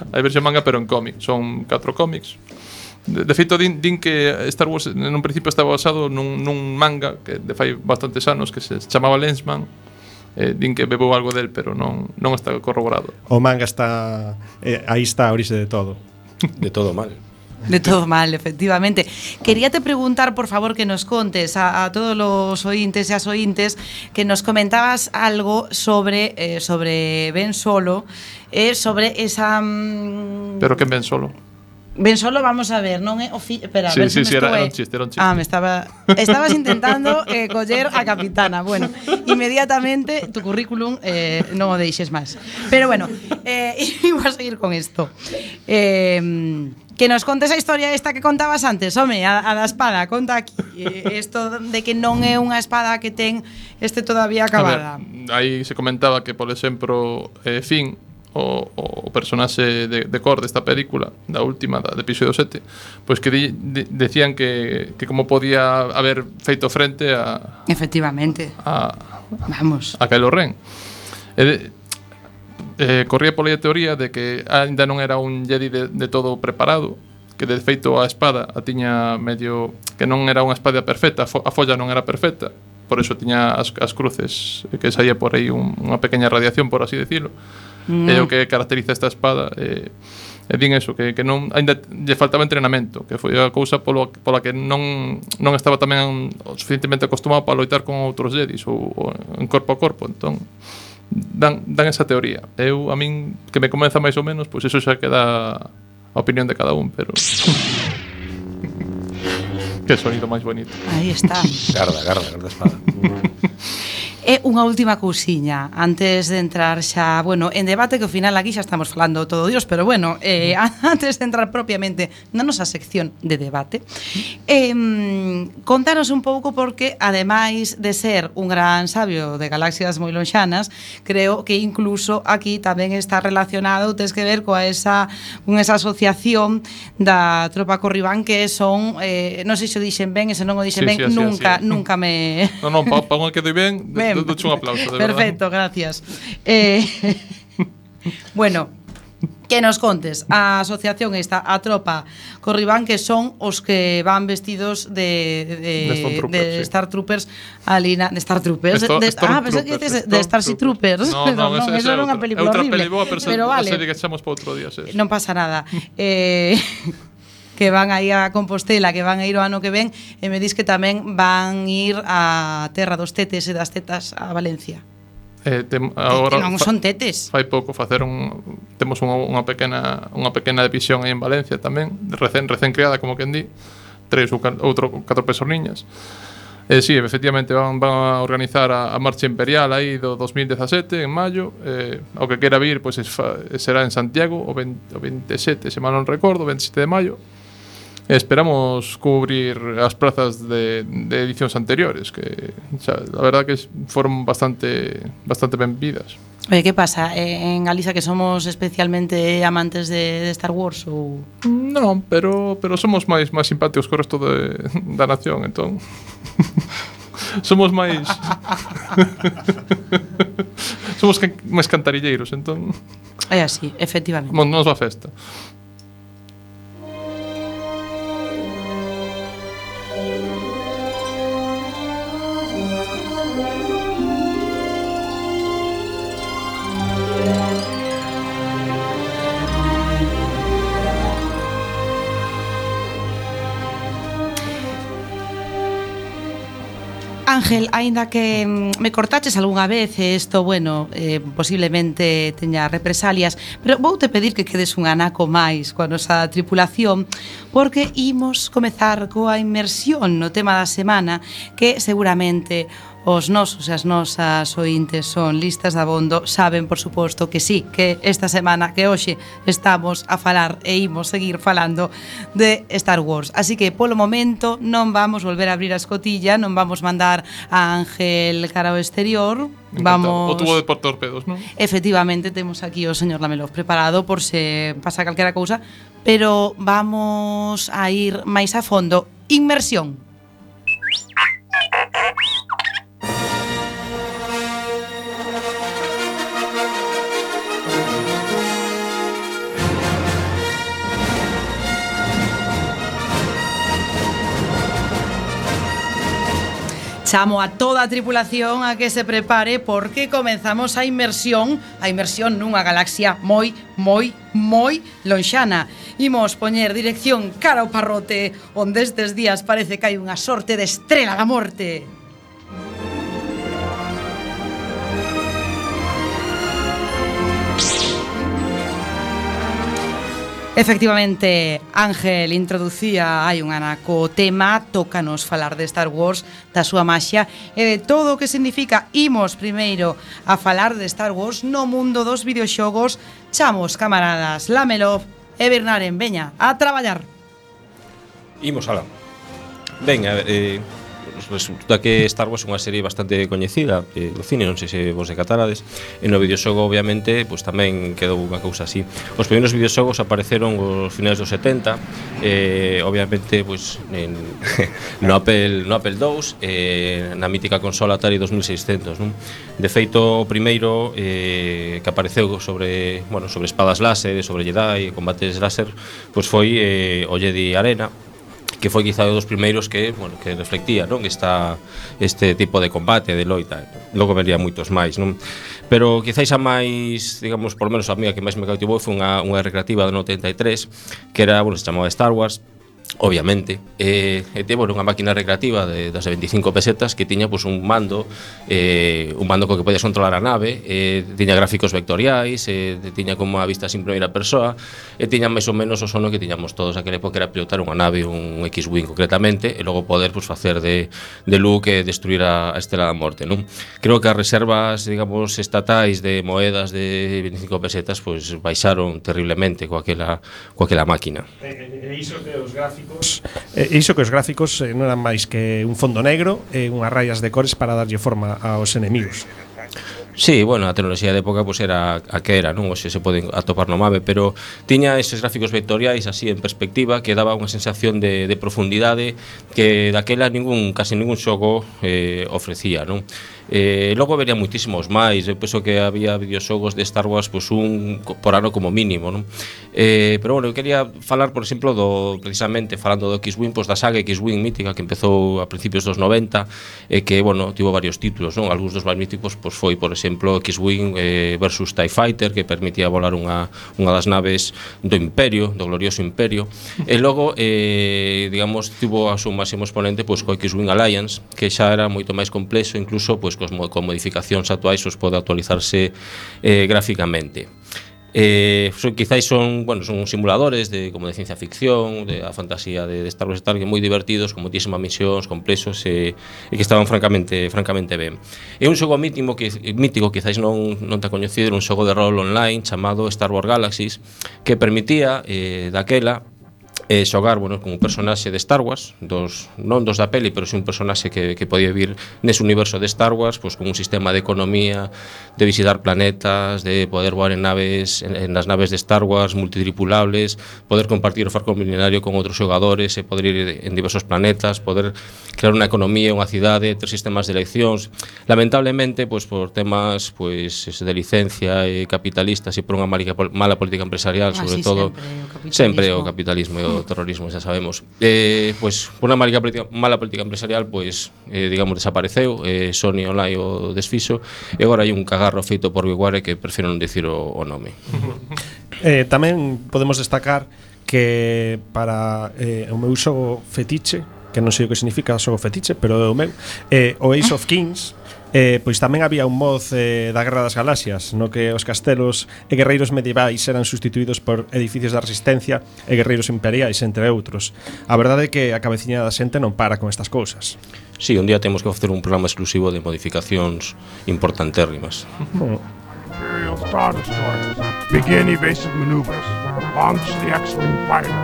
Hai versión manga, pero en cómic. Son catro cómics. De, de feito, din, din que Star Wars en un principio estaba basado nun, nun manga que de fai bastantes anos que se chamaba Lensman. Eh, din que bebeu algo del, pero non, non está corroborado. O manga está... Eh, aí está a orixe de todo. De todo mal. De todo mal, efectivamente. Queríate preguntar, por favor, que nos contes a, a todos los ointes e as ointes, que nos comentabas algo sobre eh, sobre Ben Solo, eh, sobre esa... Mm, pero que Ben Solo? Ben Solo, vamos a ver, non é o fi... Espera, sí, a ver sí, se sí, me era, era estou... un chiste, era un chiste. Ah, me estaba... Estabas intentando eh, coller a capitana. Bueno, inmediatamente tu currículum eh, non o deixes máis. Pero bueno, eh, iba a seguir con isto. Eh, que nos contes a historia esta que contabas antes, home, a, a da espada, conta aquí. Eh, esto de que non é unha espada que ten este todavía acabada. A ver, aí se comentaba que, por exemplo, eh, Finn, o, o personaxe de, de Core desta película, da última, da, de episodio sete, pois que di, di, decían que, que como podía haber feito frente a... Efectivamente. A, Vamos. A Kylo Ren. E de, eh, corría pola teoría de que ainda non era un Jedi de, de todo preparado, que de feito a espada a tiña medio... que non era unha espada perfecta, a folla non era perfecta, por eso tiña as, as cruces, que saía por aí un, unha pequena radiación, por así decirlo. Mm. É o que caracteriza esta espada. E, e din eso, que, que non ainda lle faltaba entrenamento, que foi a cousa polo, pola que non, non estaba tamén o suficientemente acostumado para loitar con outros Jedis ou, ou en corpo a corpo. Entón dan, dan esa teoría. Eu, a min, que me comeza máis ou menos, pois eso xa queda a opinión de cada un, pero que sonido máis bonito. Aí está. Garda, garda, garda espada. E unha última cousiña antes de entrar xa, bueno, en debate, que ao final aquí xa estamos falando todo Dios, pero bueno, eh, antes de entrar propiamente na nosa sección de debate, eh, contanos un pouco, porque ademais de ser un gran sabio de galaxias moi lonxanas, creo que incluso aquí tamén está relacionado, tes que ver coa esa, con esa asociación da tropa Corribán, que son, eh, non sei se o dixen ben, e se non o dixen sí, ben, sí, nunca, sí. nunca me... Non, non, pa, pa unha que doi ben, doche un aplauso, de perfecto, verdad. gracias. Eh, bueno, que nos contes a asociación esta, a tropa Corribán, que son os que van vestidos de de, de, de sí. Star Troopers ali na, de Star Troopers, Esto, de, Storm ah, pensé que dices de Starship Troopers. No, no, non, eso era unha película outra horrible. Peli boa, pero, pero vale. Se digamos para outro día, sí. Non pasa nada. Eh que van aí a Compostela, que van a ir o ano que ven, e me dis que tamén van ir á terra dos tetes e das tetas a Valencia. Eh, tem, agora, que non son tetes. Fai pouco facer un temos unha, unha pequena unha pequena división aí en Valencia tamén, recén recén creada como quen di, tres ou outro catro pesorniñas. Eh, sí, efectivamente van, van a organizar a, a marcha imperial aí do dos mil dezasete en maio, eh, o que quera vir pois pues, será en Santiago o, veinte, o veintisiete, se mal non recordo, veintisiete de maio. Esperamos cubrir as plazas de, de edicións anteriores, que xa, la verdad que foron bastante bastante ben vidas. Oye, que pasa? En Galiza que somos especialmente amantes de, de Star Wars ou non, pero pero somos máis máis simpáticos co resto de, da nación, entón. Somos máis Somos can, máis cantarilleiros, entón. É así, efectivamente. Nos va a festa. Ángel, aínda que me cortaches algunha vez e isto, bueno, eh, posiblemente teña represalias, pero voute pedir que quedes un anaco máis coa nosa tripulación, porque imos comezar coa inmersión no tema da semana, que seguramente os nosos e as nosas ointes son listas de abondo, saben, por suposto, que sí, que esta semana, que hoxe estamos a falar e imos seguir falando de Star Wars. Así que, polo momento, non vamos volver a abrir a escotilla, non vamos mandar a Ángel cara ao exterior. Vamos... O tubo de portorpedos, non? Efectivamente, temos aquí o señor Lamelov preparado por se pasa calquera cousa, pero vamos a ir máis a fondo. Inmersión. Chamo a toda a tripulación a que se prepare porque comenzamos a inmersión, a inmersión nunha galaxia moi, moi, moi lonxana. Imos poñer dirección cara ao parrote, onde estes días parece que hai unha sorte de estrela da morte. Efectivamente, Ángel introducía hai un anaco tema, tócanos falar de Star Wars, da súa maxia e de todo o que significa. Imos primeiro a falar de Star Wars no mundo dos videoxogos. Chamos, camaradas, Lamelov e Bernaren, veña, a traballar. Imos alá. Ben, a ver, eh, resulta que Star Wars é unha serie bastante coñecida eh, no cine, non sei se vos decatárades, e no videoxogo obviamente pues, tamén quedou unha cousa así. Os primeiros videoxogos apareceron os finais dos setenta, eh, obviamente pues, en, no Apple no Apple dous, eh, na mítica consola Atari dos mil seiscentos, non? De feito, o primeiro eh, que apareceu sobre, bueno, sobre espadas láser, sobre Jedi e combates láser, pues foi eh, o Jedi Arena, que foi quizá dos primeiros que, bueno, que reflectía, non, esta este tipo de combate, de loita. Logo vería moitos máis, non? Pero quizáis a máis, digamos, por lo menos a mí a que máis me cautivou foi unha unha recreativa do oitenta e tres, que era, bueno, se chamaba Star Wars, obviamente, e, e te, bueno, unha máquina recreativa de, das veinticinco pesetas que tiña pues, un mando eh, un mando co que podías controlar a nave, eh, tiña gráficos vectoriais, eh, tiña como a vista sin primeira persoa, e tiña máis ou menos o sono que tiñamos todos aquela época, era pilotar unha nave, un X-Wing concretamente, e logo poder pues, facer de, de Luke e destruir a, a Estela da Morte, non? Creo que as reservas, digamos, estatais de moedas de veinticinco pesetas pues, baixaron terriblemente coaquela, coaquela máquina. E, e iso que os gráficos E iso que os gráficos eh, non eran máis que un fondo negro e unhas rayas de cores para darlle forma aos enemigos. Sí, bueno, a tecnoloxía de época pues era a que era, non? Oxe se poden atopar no mave, pero tiña eses gráficos vectoriais así en perspectiva que daba unha sensación de, de profundidade que daquela ningún, casi ningún xogo eh, ofrecía, non? Eh, logo vería moitísimos máis. Eu penso que había videoxogos de Star Wars pues, un por ano como mínimo, non? Eh, pero bueno, eu quería falar, por exemplo, do, precisamente falando do X-Wing, pues, da saga X-Wing mítica que empezou a principios dos noventa e que, bueno, tivo varios títulos, non? Algúns dos máis míticos pues, foi, por exemplo, exemplo, X-Wing eh, versus TIE Fighter, que permitía volar unha, unha das naves do Imperio, do glorioso Imperio. E logo, eh, digamos, tivo a súa máximo exponente pois, co X-Wing Alliance, que xa era moito máis complexo, incluso pois, cos, con modificacións actuais os pode actualizarse eh, gráficamente. Eh, son, quizáis son, bueno, son simuladores de como de ciencia ficción, de a fantasía de, de Star Wars tal, que moi divertidos, con moitísimas misións, complexos e, e que estaban francamente francamente ben. É un xogo mítico que mítico, quizáis non non te coñecido, un xogo de rol online chamado Star Wars Galaxies, que permitía eh, daquela eh, xogar, bueno, como un personaxe de Star Wars, dos, non dos da peli, pero si un personaxe que, que podía vir nese universo de Star Wars, pues, con un sistema de economía, de visitar planetas, de poder voar en naves, en, en las naves de Star Wars multitripulables, poder compartir o farco milenario con outros xogadores, e poder ir en diversos planetas, poder crear unha economía, unha cidade, ter sistemas de eleccións. Lamentablemente, pues, por temas pues, de licencia e capitalistas e por unha mala política empresarial, sobre Así todo, sempre o capitalismo e o terrorismo, xa sabemos. Eh, pues, por unha mala política, mala política empresarial, pues, eh, digamos, desapareceu, eh, Sony Online o desfixo, e agora hai un cagarro feito por BioWare que prefiero non dicir o, o nome. Eh, tamén podemos destacar que para eh, o meu xogo fetiche, que non sei o que significa xogo fetiche, pero é o meu, eh, o Ace of Kings, Eh, pois tamén había un mod eh, da Guerra das Galaxias, no que os castelos e guerreiros medievais eran sustituídos por edificios da Resistencia e guerreiros imperiais, entre outros. A verdade é que a cabeciña da xente non para con estas cousas. Sí, un día temos que facer un programa exclusivo de modificacións importantérrimas. Imperial Star Destroyers begin evasive maneuvers. Launch the X-Wing fighters.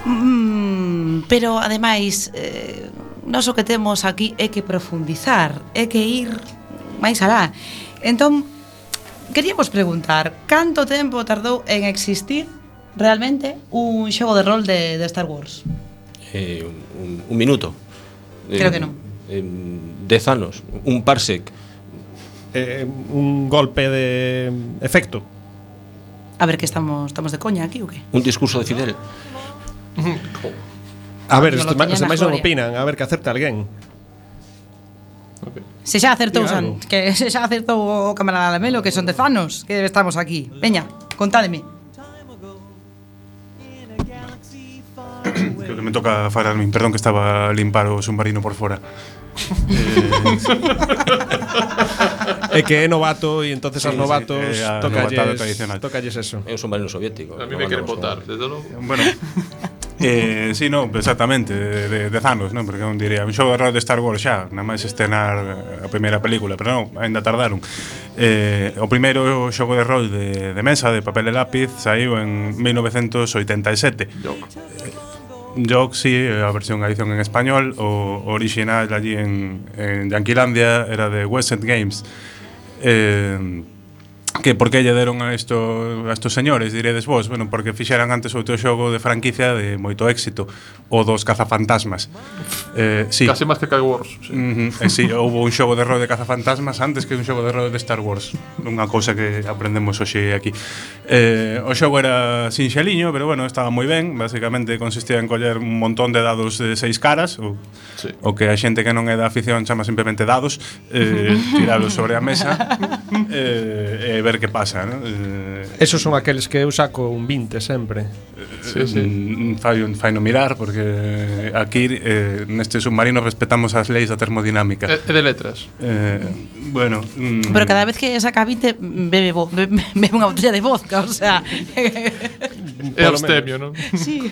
Mm, pero ademais eh, nós o que temos aquí é que profundizar, é que ir máis alá. Entón, queríamos preguntar, canto tempo tardou en existir realmente un xogo de rol de, de Star Wars? Eh, un, un minuto. Creo eh, que non. Eh, dez anos, un parsec. Eh, un golpe de efecto. A ver, que estamos estamos de coña aquí ou que? Un discurso de Fidel. A ver, os demais non opinan, a ver que acerte alguén. Okay. Se xa acertou San, que se xa acertou o camarada Lamelo, que son dez anos que estamos aquí. Veña, contádeme. Creo que me toca falar a min, perdón que estaba a limpar o submarino por fora. É que é novato e entonces aos novatos sí, eh, tocalles, tocalles eso. É un submarino soviético. A mí me queren botar, desde logo. Bueno, eh, sí, no, exactamente, de dez anos, non? Porque non diría, un xogo de rol de Star Wars xa, nada máis estrenar a primeira película, pero non, ainda tardaron. Eh, o primeiro xogo de rol de, de mesa, de papel e lápiz, saiu en mil novecentos oitenta e sete. Jog, sí, a versión a edición en español. O, o original allí en, en Yanquilandia era de Western Games. Eh, que por que lle deron a, esto, a estos señores, diredes vos? Bueno, porque fixeran antes outro xogo de franquicia de moito éxito, o dos cazafantasmas. Eh, sí. Casi máis que Sky Wars. Sí. Uh-huh. Eh, sí, houve un xogo de rol de cazafantasmas antes que un xogo de rol de Star Wars. Unha cousa que aprendemos hoxe aquí. Eh, o xogo era sinxeliño, pero bueno, estaba moi ben. Basicamente consistía en coller un montón de dados de seis caras, o, sí. o que a xente que non é da afición chama simplemente dados, eh, tiralos sobre a mesa e eh, ver que pasa, ¿no? Eh, Esos son aqueles que eu saco un vinte sempre. Sí, sí. Fai, fai no mirar, porque aquí eh, neste submarino respetamos as leis da termodinámica. E de letras. Eh, bueno, mm, pero cada vez que saca vinte bebe, vo, bebe, bebe unha botella de vodka, o sea, é abstemio, non? Sí.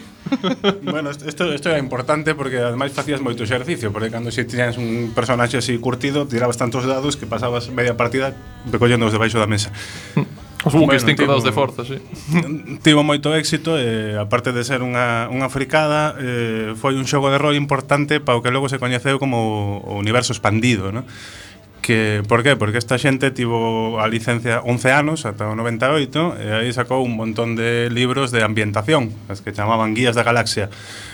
Bueno, isto, isto é importante porque ademais facías moito exercicio, porque cando se tiñas un personaxe así curtido, tirabas tantos dados que pasabas media partida recollendo os debaixo da mesa. Os buques bueno, cinco dados de forza, sí. Tivo moito éxito e, aparte de ser unha, unha fricada, eh, foi un xogo de rol importante para o que logo se coñeceu como o universo expandido, ¿no? Que, por qué? Porque esta xente tivo a licencia once anos, ata o noventa e oito, e aí sacou un montón de libros de ambientación, as que chamaban Guías da Galaxia.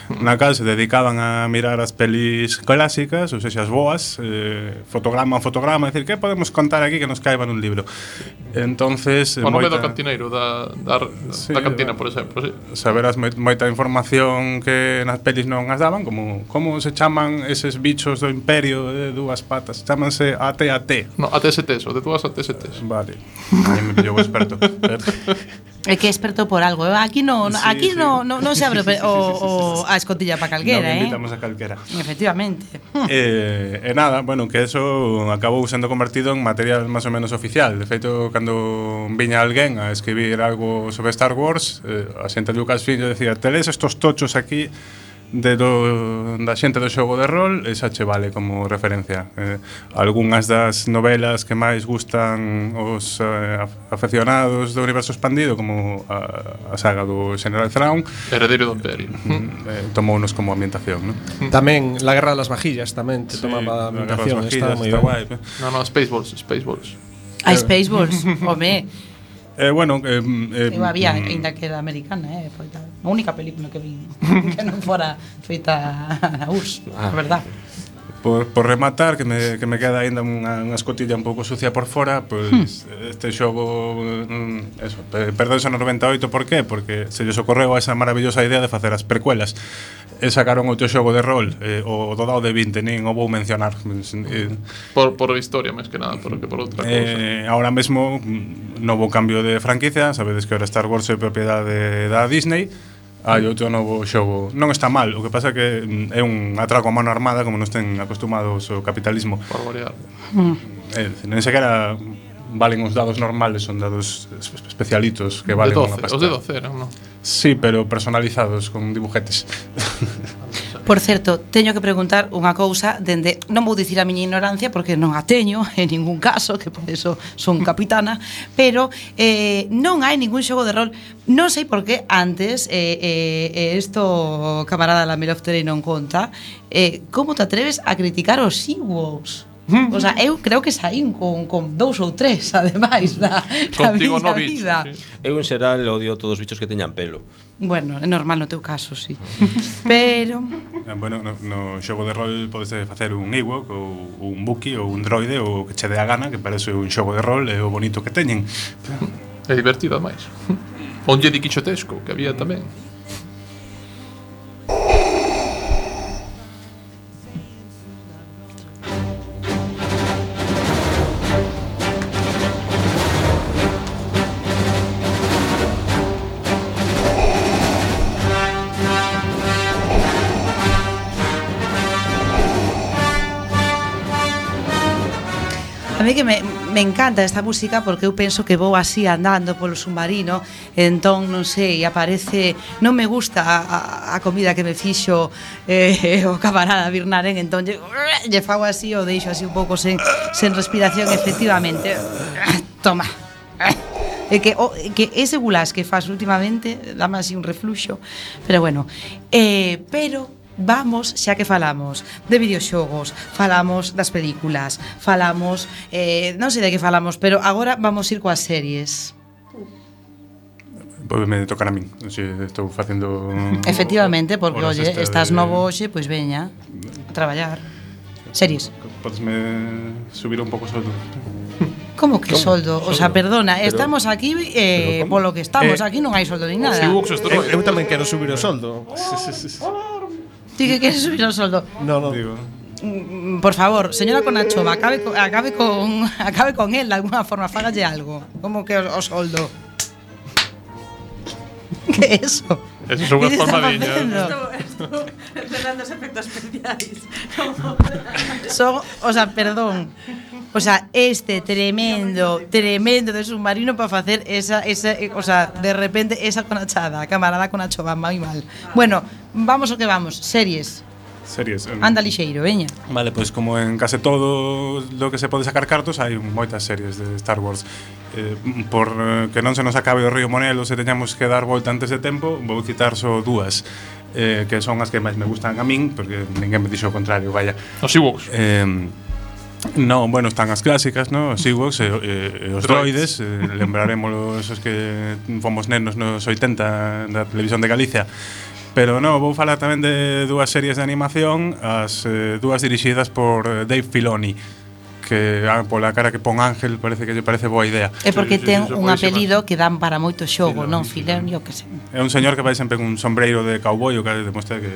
na cal se dedicaban a mirar as pelis clásicas, ou seja, as boas, eh, fotograma a fotograma, decir, que podemos contar aquí que nos caiba nun libro. Entonces, o nome do cantineiro da, da, sí, da cantina, por exemplo, sí. Saberás moita información que nas pelis non as daban, como como se chaman eses bichos do imperio de dúas patas, chámanse A T A T. No, A T S Ts, o de dúas A T S Ts. Vale. Aí me pillou o experto. É que é experto por algo. Aquí no, sí, aquí sí. no, no, no se abre o, o a escotilla para calquera, non eh. invitamos a calquera. Efectivamente. Eh, e nada, bueno, que eso acabou sendo convertido en material máis ou menos oficial. De feito, cando viña alguén a escribir algo sobre Star Wars, eh, a xente de Lucasfilm decía, teles estos tochos aquí de do, da xente do xogo de rol, esa che vale como referencia. Eh, algunhas das novelas que máis gustan os eh, afeccionados do universo expandido, como a, a saga do General Thrawn, Heredero do Imperio, eh, tomounos como ambientación, ¿no? Tamén La Guerra das Vajillas tamén te sí, tomaba ambientación, está moi guai. No, no, Spaceballs, Spaceballs. A Spaceballs, home. Eh, bueno, eh, eh, Eu había, ainda que era americana, eh, foi tal. A única película que vi que non fora feita na U R S S, ah. a verdad. Por, por rematar, que me, que me queda aínda unha, unha escotilla un pouco sucia por fora, pois hmm. este xogo mm, eso, perdeuse no noventa e oito, por qué? Porque se lles ocorreu esa maravillosa idea de facer as precuelas e sacaron outro xogo de rol, eh, o do dado de vinte, nin o vou mencionar. Eh, por, por historia, máis que nada, porque por outra cousa. Eh, ahora mesmo, novo cambio de franquicia, sabedes que ahora Star Wars é propiedade da Disney. Hai outro novo xogo. Non está mal, o que pasa é que é un atraco a mano armada como nos ten acostumados o capitalismo. Por variar. Mm. Eh, non sequera valen os dados normales, son dados especialitos que valen unha pasta. Os de doce eran, non? Sí, pero personalizados con dibujetes. Por certo, teño que preguntar unha cousa dende, non vou dicir a miña ignorancia porque non a teño en ningún caso, que por eso son capitana, pero eh, non hai ningún xogo de rol. Non sei por qué antes, eh, eh, esto camarada la Meloftere non conta, eh, como te atreves a criticar os Ewoks? O sea, eu creo que saín con, con dous ou tres, ademais, da, da Contigo miña no bicho, vida. sí. Eu en xeral odio todos os bichos que teñan pelo. Bueno, é normal no teu caso, sí. Pero bueno, no, no xogo de rol podes facer un Ewok ou un Wookiee ou un droide ou que che dé a gana, que parece un xogo de rol e o bonito que teñen. É divertido, ademais. Un Jedi quixotesco, que había tamén. a mí que me, me encanta esta música porque eu penso que vou así andando polo submarino, entón non sei, aparece, non me gusta a, a, a comida que me fixo eh, o camarada Birnaren, entón lle, lle fago así o deixo así un pouco sen, sen respiración, efectivamente. Toma. É que, o, que ese gulás que faz últimamente dame así un refluxo, pero bueno, eh, pero vamos, xa que falamos de videoxogos, falamos das películas, falamos, eh, non sei de que falamos, pero agora vamos ir coas series. Pois me tocar a min, si estou facendo. Efectivamente, porque oye, estás de... novo hoxe, pois veña a traballar. Series. Podesme subir un pouco o soldo. Como que ¿Cómo? soldo? O sea, perdona, pero, estamos aquí eh, polo que estamos, eh, aquí non hai soldo nin nada. Eu, eu tamén quero subir o soldo. Ti que queres subir o soldo? No, no. Digo. Por favor, señora Conachova, acabe con, acabe con acabe con él de alguna forma, fágalle algo. Como que o, o soldo? Que é eso? Eso son unhas palmadillas. Estou encerrando os efectos especiais. Son, o sea, perdón. O sea, este tremendo, tremendo de submarino para facer esa, esa, o sea, de repente esa conachada, camarada Conachova, moi mal. Bueno, vamos o que vamos, series. Series. Um, Anda lixeiro, veña. Vale, pois pues como en case todo lo que se pode sacar cartos, hai moitas series de Star Wars. Eh, por eh, que non se nos acabe o río Monelo se teñamos que dar volta antes de tempo, vou citar só dúas, eh, que son as que máis me gustan a min, porque ninguén me dixo o contrario, vaya. Os Ewoks. Eh, No, bueno, están as clásicas, no? Os Ewoks e, e, e os droides, eh, lembraremos esos que fomos nenos nos oitenta da televisión de Galicia. Pero non, vou falar tamén de dúas series de animación, as eh, dúas dirixidas por eh, Dave Filoni, que ah, pola cara que pon Ángel parece que lle parece boa idea. É porque Sí, sí, ten sí, un sí, apelido que dan para moito xogo, non? Filoni, o que sei. É un señor que vai sempre con un sombreiro de cowboy, o que demostra que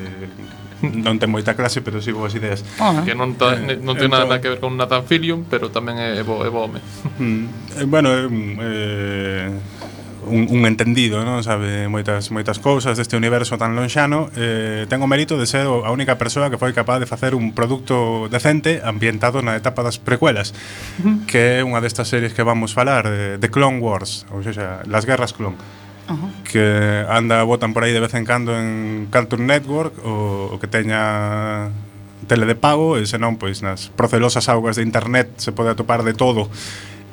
non ten moita clase, pero si sí boas ideas. Ah. Que non, ta, Eh, non ten nada entón- que ver con Nathan Fillion, pero tamén é bo, é bo home. Mm, eh, bueno, eh, un, un entendido, non? Sabe moitas moitas cousas deste universo tan lonxano. Eh, ten o mérito de ser o- a única persoa que foi capaz de facer un produto decente ambientado na etapa das precuelas, que é unha destas series que vamos falar, de, de Clone Wars, ou seja, las guerras clon. Que anda, botan por aí de vez en cando en Cartoon Network o, o que teña tele de pago, e senón, pois nas procelosas augas de internet se pode atopar de todo.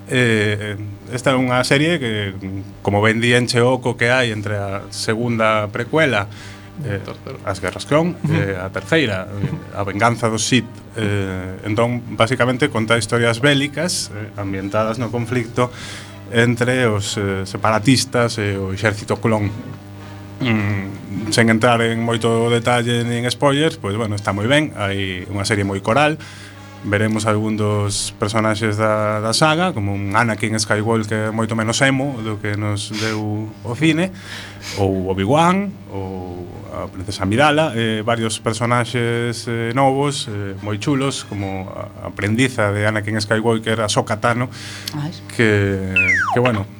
Eh, esta é unha serie que, como ben di, enche o oco que hai entre a segunda precuela, eh, as Guerras Clon, e a terceira, eh, a venganza dos Sith. Eh, entón, basicamente, conta historias bélicas eh, ambientadas no conflicto entre os eh, separatistas e o exército clon. Mm, sen entrar en moito detalle nin spoilers, pois bueno, está moi ben, hai unha serie moi coral. Veremos algún dos personaxes da, da saga, como un Anakin Skywalker moito menos emo do que nos deu o cine, ou Obi-Wan, ou a princesa Amidala, eh, varios personaxes eh, novos, eh, moi chulos, como a aprendiza de Anakin Skywalker, Ahsoka Tano, que, que bueno,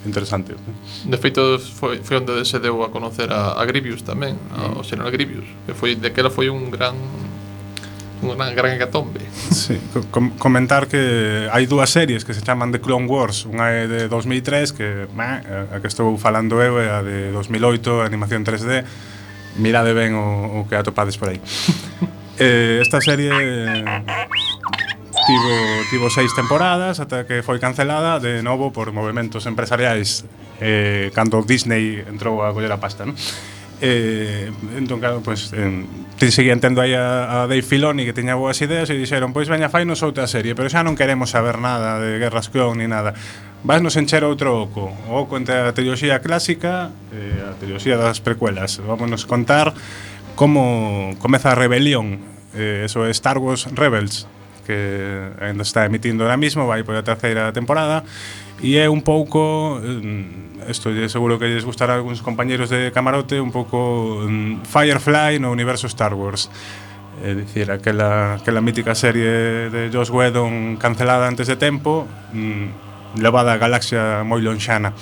interesante. De feito, foi, foi onde se deu a conocer a, a Grievous tamén, a, o Xeneral Grievous, que foi, de que ela foi un gran unha gran hecatombe. Sí, com comentar que hai dúas series que se chaman The Clone Wars. Unha é de dos mil tres, que bah, a que estou falando eu, é a de dos mil oito, animación tres D. Mirade ben o, o que atopades por aí. eh, esta serie tivo, tivo seis temporadas ata que foi cancelada de novo por movimentos empresariais, eh, cando Disney entrou a coller a pasta, non? Eh, entón, claro, pues, eh, te seguían tendo aí a, a Dave Filoni, que teña boas ideas, e dixeron, pois veña, fainos outra serie, pero xa non queremos saber nada de Guerras Clon ni nada. Vasnos encher outro oco, o oco entre a triloxía clásica e a triloxía das precuelas. Vámonos contar como comeza a rebelión, eh, eso é Star Wars Rebels, que ainda está emitindo ahora mismo, vai por a terceira temporada, e é un pouco, isto eh, seguro que lles gustará a algúns compañeros de camarote, un pouco um, Firefly no universo Star Wars. É dicir, aquela, aquela mítica serie de Joss Whedon cancelada antes de tempo, um, levada a galaxia moi lonxana.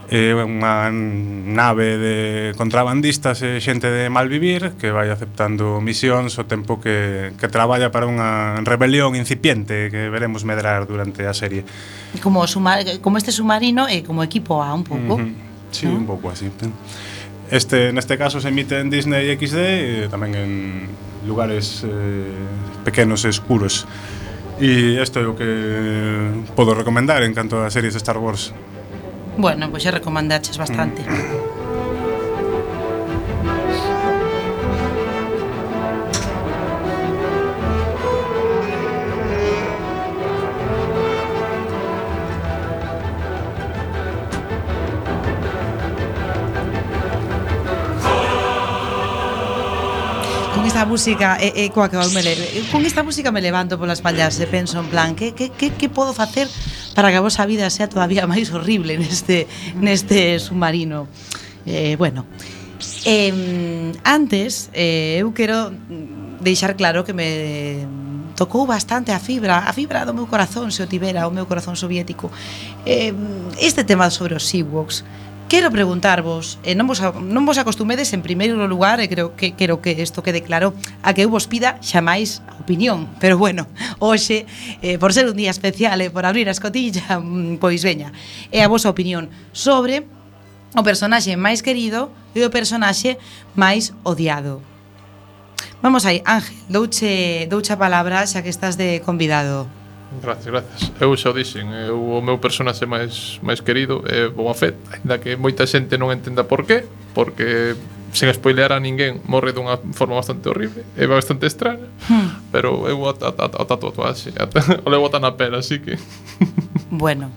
É unha nave de contrabandistas e xente de malvivir que vai aceptando misións o tempo que, que traballa para unha rebelión incipiente que veremos medrar durante a serie. Como, sumar, como este submarino e como equipo A un pouco. Uh -huh. Sí, ¿no? Un pouco así. Este, neste caso se emite en Disney X D e tamén en lugares eh, pequenos e escuros. E isto é o que podo recomendar en canto a series de Star Wars. Bueno, pois pues xa recomendaches bastante. Mm. Con esta música é, é coa que me le, con esta música me levanto polas pallas e penso en plan que, que, que, que podo facer para que a vosa vida sea todavía máis horrible neste, neste submarino. Eh, bueno, eh, antes eh, eu quero deixar claro que me tocou bastante a fibra, a fibra do meu corazón, se o tivera, o meu corazón soviético. Eh, este tema sobre os Ewoks. Quero preguntarvos, eh, non, vos, non vos acostumedes en primeiro lugar, e creo que quero que isto quede claro, a que eu vos pida xamais a opinión, pero bueno, hoxe, eh, por ser un día especial e eh, por abrir a escotilla, pois veña, é a vosa opinión sobre o personaxe máis querido e o personaxe máis odiado. Vamos aí, Ángel, douche, douche a palabra xa que estás de convidado. Gracias, gracias. Eu xa o dixen, eu, o meu personaxe máis máis querido é Boba Fett, ainda que moita xente non entenda por qué, porque sen spoilear a ninguén, morre dunha forma bastante horrible, é bastante extraña, hmm. pero eu ata a tatuaxe, o levo ata na pela, así que bueno,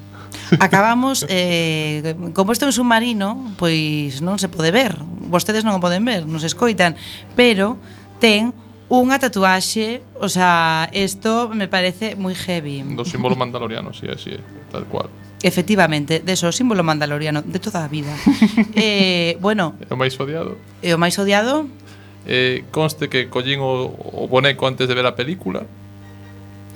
Acabamos eh, como isto é un submarino, pois non se pode ver. Vostedes non o poden ver, non se escoitan, pero ten unha tatuaxe, o sea, isto me parece moi heavy. Do símbolo mandaloriano, sí, así, tal cual. Efectivamente, de eso, símbolo mandaloriano de toda a vida. eh, bueno, É o máis odiado. É o máis odiado? Eh, conste que collín o, o boneco antes de ver a película.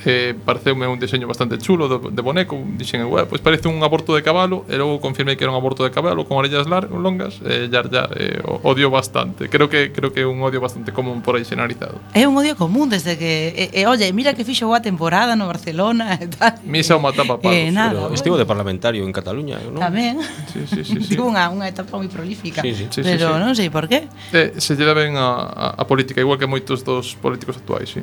Eh, pareceume un diseño bastante chulo de, de boneco. Dixen, "Ué, pois parece un aborto de cabalo", e logo confirmei que era un aborto de cabalo con orellas lar longas. Eh, Jar Jar eh, odio bastante. Creo que creo que é un odio bastante común por aí generalizado. É un odio común desde que e, e oye, mira que fixo boa temporada no Barcelona e tal. Misa ou mataba palos. Eh, nada, Pero bueno. estivo de parlamentario en Cataluña, non? Tamén. Sí, sí, sí, sí. Tivo unha, unha etapa moi prolífica. Sí, sí. Sí, sí, Pero sí. non sei por qué. Eh, se lle dá ben a, a, a política, igual que moitos dos políticos actuais, sí.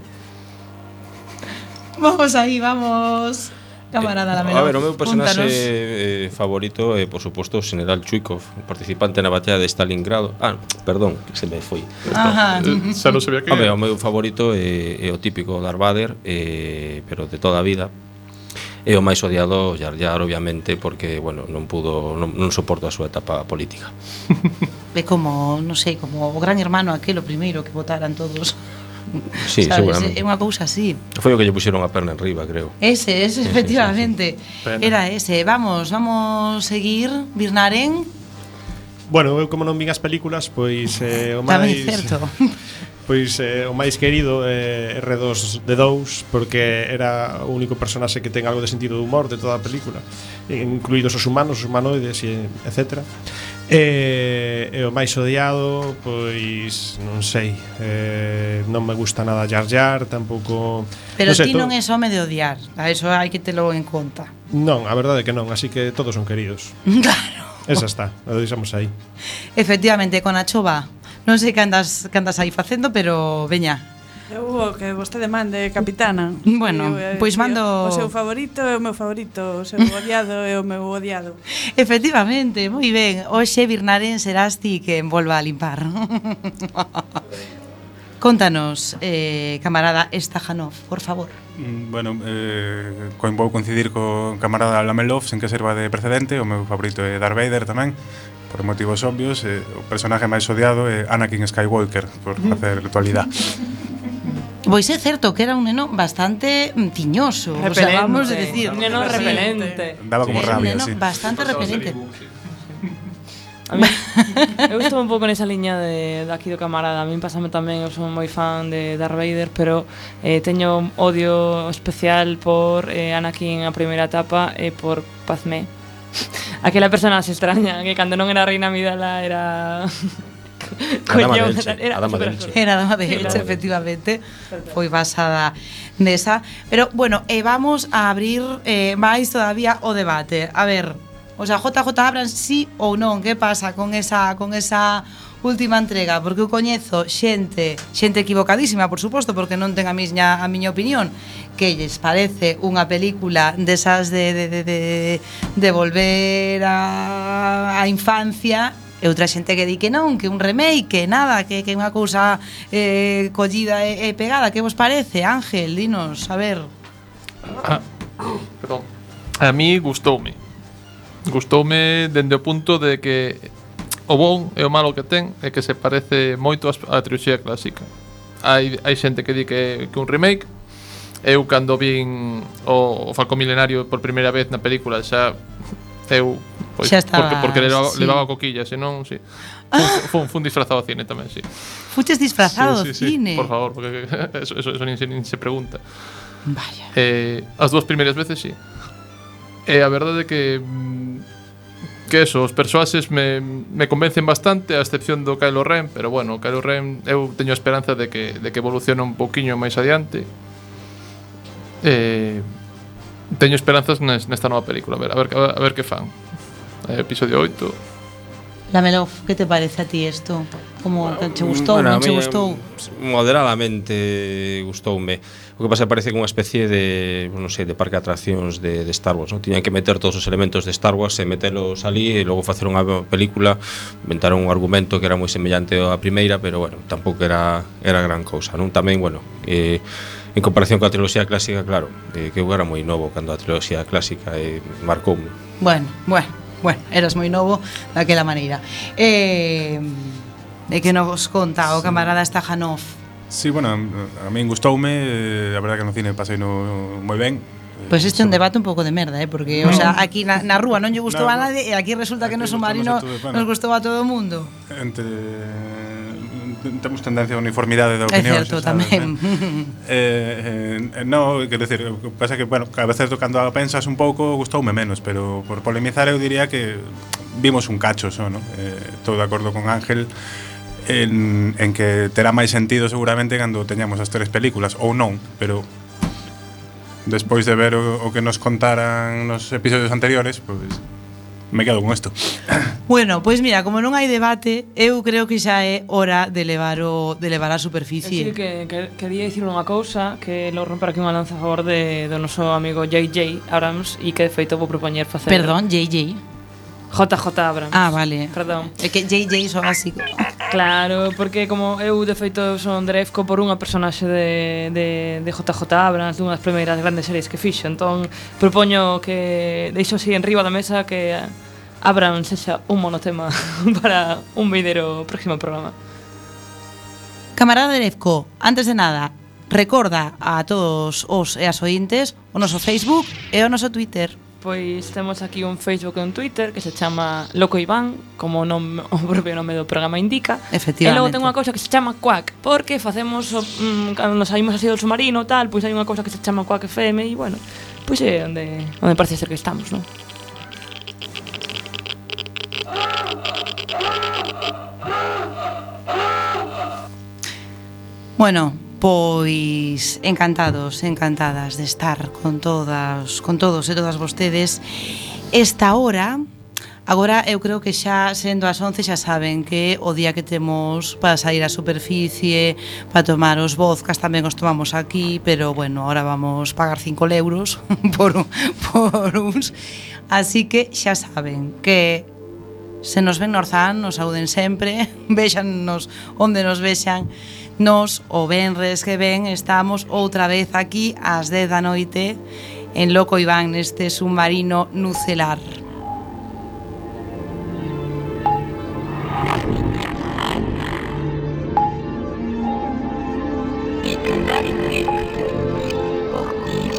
Vamos aí, vamos. Camarada la A ver, o meu personaxe eh, favorito é, por suposto, o General Chuikov, participante na batalla de Stalingrado. Ah, perdón, que se me foi. Ajá. Eh, xa non sabía que Home, era. o meu favorito é, é o típico Darth Vader, eh, pero de toda a vida. E o máis odiado Jar Jar, obviamente, porque, bueno, non pudo, non, non soporto a súa etapa política. É como, non sei, como o gran hermano aquelo primeiro que votaran todos. Sí, ¿sabes? seguramente. É unha cousa así. Foi o que lle puxeron a perna en riba, creo. Ese, ese, Sí, sí, efectivamente. sí, sí. Era ese. Vamos, vamos seguir. Birnaren. Bueno, eu como non vin as películas, pois eh, o Tamén máis é certo. Pois eh, o máis querido é R dos D dous, porque era o único personaxe que ten algo de sentido de humor de toda a película, incluídos os humanos, os humanoides e etcétera. E, e o máis odiado, pois non sei, eh, non me gusta nada Jar Jar, tampouco. Pero non sei, ti to- non és home de odiar. A eso hai que telo en conta. Non, a verdade é que non, así que todos son queridos. Claro. Esa está, lo deixamos aí. Efectivamente, con a chova. Non sei que andas, que andas aí facendo, pero veña. Eu o que vostede mande, capitana. Bueno, Eu, eh, pois o- mando- O seu favorito é o meu favorito, o seu odiado é o meu odiado. Efectivamente, moi ben. Oxe, Birnaren, serás ti que envolva a limpar. Contanos, eh, camarada Stajanov, por favor. Mm, Bueno, eh, coin vou coincidir co camarada Lamelov sen que serva de precedente. O meu favorito é Darth Vader tamén, por motivos obvios. eh, O personaje máis odiado é Anakin Skywalker, por facer actualidade. Pois é certo que era un neno bastante mm, tiñoso. O sea, vamos a decir, Un neno repelente. Daba como Era un rabia, neno sí. bastante repelente. A mí, eu estou un pouco nesa liña de, de aquí do camarada. A mí pásame tamén, eu son moi fan de Darth Vader, pero eh, teño odio especial por eh, Anakin a primeira etapa e por Padmé. Aquela persona se extraña que cando non era reina Amidala era A dama de coño, Elche, era a dama de super Elche. Era dama de Sí, Elche, claro. efectivamente. Foi basada nesa. Pero, bueno, e vamos a abrir eh, máis todavía o debate. A ver, o sea, J J Abrams sí ou non? Que pasa con esa con esa última entrega? Porque eu coñezo xente, xente equivocadísima, por suposto, porque non ten a miña, a miña opinión, que lles parece unha película desas de, de, de, de, de volver a, a infancia, e outra xente que di que non, que un remake, que nada, que que unha cousa eh, collida e, e pegada. Que vos parece, Ángel? Dinos, a ver. Ah, perdón. A mí gustoume. Gustoume dende o punto de que o bon e o malo que ten é que se parece moito ás- á triloxía clásica. Hai, hai xente que di que, que un remake. Eu cando vin o, o Falcón Milenario por primeira vez na película xa eu pois, Xa estaba, porque, porque levaba, sí. levaba coquilla, senón si. Fun, fun, fun disfrazado ao cine tamén, si. Fuches disfrazado ao cine. Por favor, porque eso, eso, eso nin, se- nin se pregunta. Vaya. Eh, as dúas primeiras veces sí. E a verdade é que mm, que eso, os persoaxes me, me convencen bastante, a excepción do Kylo Ren, pero bueno, o Kylo Ren eu teño a esperanza de que, de que evolucione un pouquiño máis adiante. Eh, teño esperanzas nes, nesta nova película, a ver, a ver, a ver que fan. Eh, episodio oito. Lamelov, que te parece a ti isto? Como que che gustou, Bueno, non a che mí, gustou? Moderadamente gustoume. O que pasa é que parece que unha especie de, non sei, de parque de atraccións de, de Star Wars, non? Tiñan que meter todos os elementos de Star Wars e metelos ali e logo facer unha película. Inventaron un argumento que era moi semellante á primeira, pero bueno, tampouco era era gran cousa, non? Tamén, bueno, eh En comparación coa triloxía clásica, claro, eh, que eu era moi novo cando a triloxía clásica eh, marcoume. Bueno, bueno, bueno, eras moi novo daquela maneira. Eh, e que nos conta o camarada Stajanov? Sí, bueno, a min gustoume, a verdade que no cine pasei no moi ben. Pois pues este é un debate un pouco de merda, eh, porque, o sea, aquí na, na rúa non lle gustou no, a nadie e aquí resulta que no submarino nos gustou a todo o mundo. Entre temos tendencia a uniformidade de opinións. É certo, tamén. Eh, eh, no, quero decir, pasa que, bueno, a veces cando pensas un pouco gustoume menos, pero por polemizar eu diría que vimos un cacho só, ¿no? Eh, estou de acordo con Ángel en, en que terá máis sentido seguramente cando teñamos as tres películas, ou non, pero despois de ver o, o que nos contaran nos episodios anteriores, pois pues, me quedo con isto. Bueno, pois pues mira, como non hai debate, eu creo que xa é hora de levar o de levar a superficie. Sí, que, que quería dicir unha cousa, que lo romper aquí unha lanza a favor de do noso amigo J J Abrams e que de feito vou propoñer facer. Perdón, J J. J J Abrams. Ah, vale. Perdón. É que J J son así. Claro, porque como eu de feito son drefco por unha personaxe de, de, de J J Abrams, dunhas primeiras grandes series que fixo, entón propoño que deixo así en riba da mesa que Abrams sexa un monotema para un vídeo próximo programa. Camarada Drefco, antes de nada, recorda a todos os e as ointes o noso Facebook e o noso Twitter. Pois temos aquí un Facebook e un Twitter que se chama Loco Iván, como nome, o propio nome do programa indica. Efectivamente. E logo ten unha cousa que se chama Quack, porque facemos, mm, cando nos saímos así do submarino tal, pois hai unha cousa que se chama Quack F M e, bueno, pois é onde, onde parece ser que estamos, non? Bueno, pois encantados, encantadas de estar con todas, con todos e todas vostedes esta hora. Agora eu creo que xa sendo as once xa saben que o día que temos para sair á superficie, para tomar os vodkas tamén os tomamos aquí, pero bueno, ahora vamos pagar cinco euros por, por uns. Así que xa saben que se nos ven no Orzán, nos saúden sempre, véxannos onde nos vexan. Nos, o venres que ven, estamos outra vez aquí ás dez da noite en Loco Iván, neste submarino nucelar.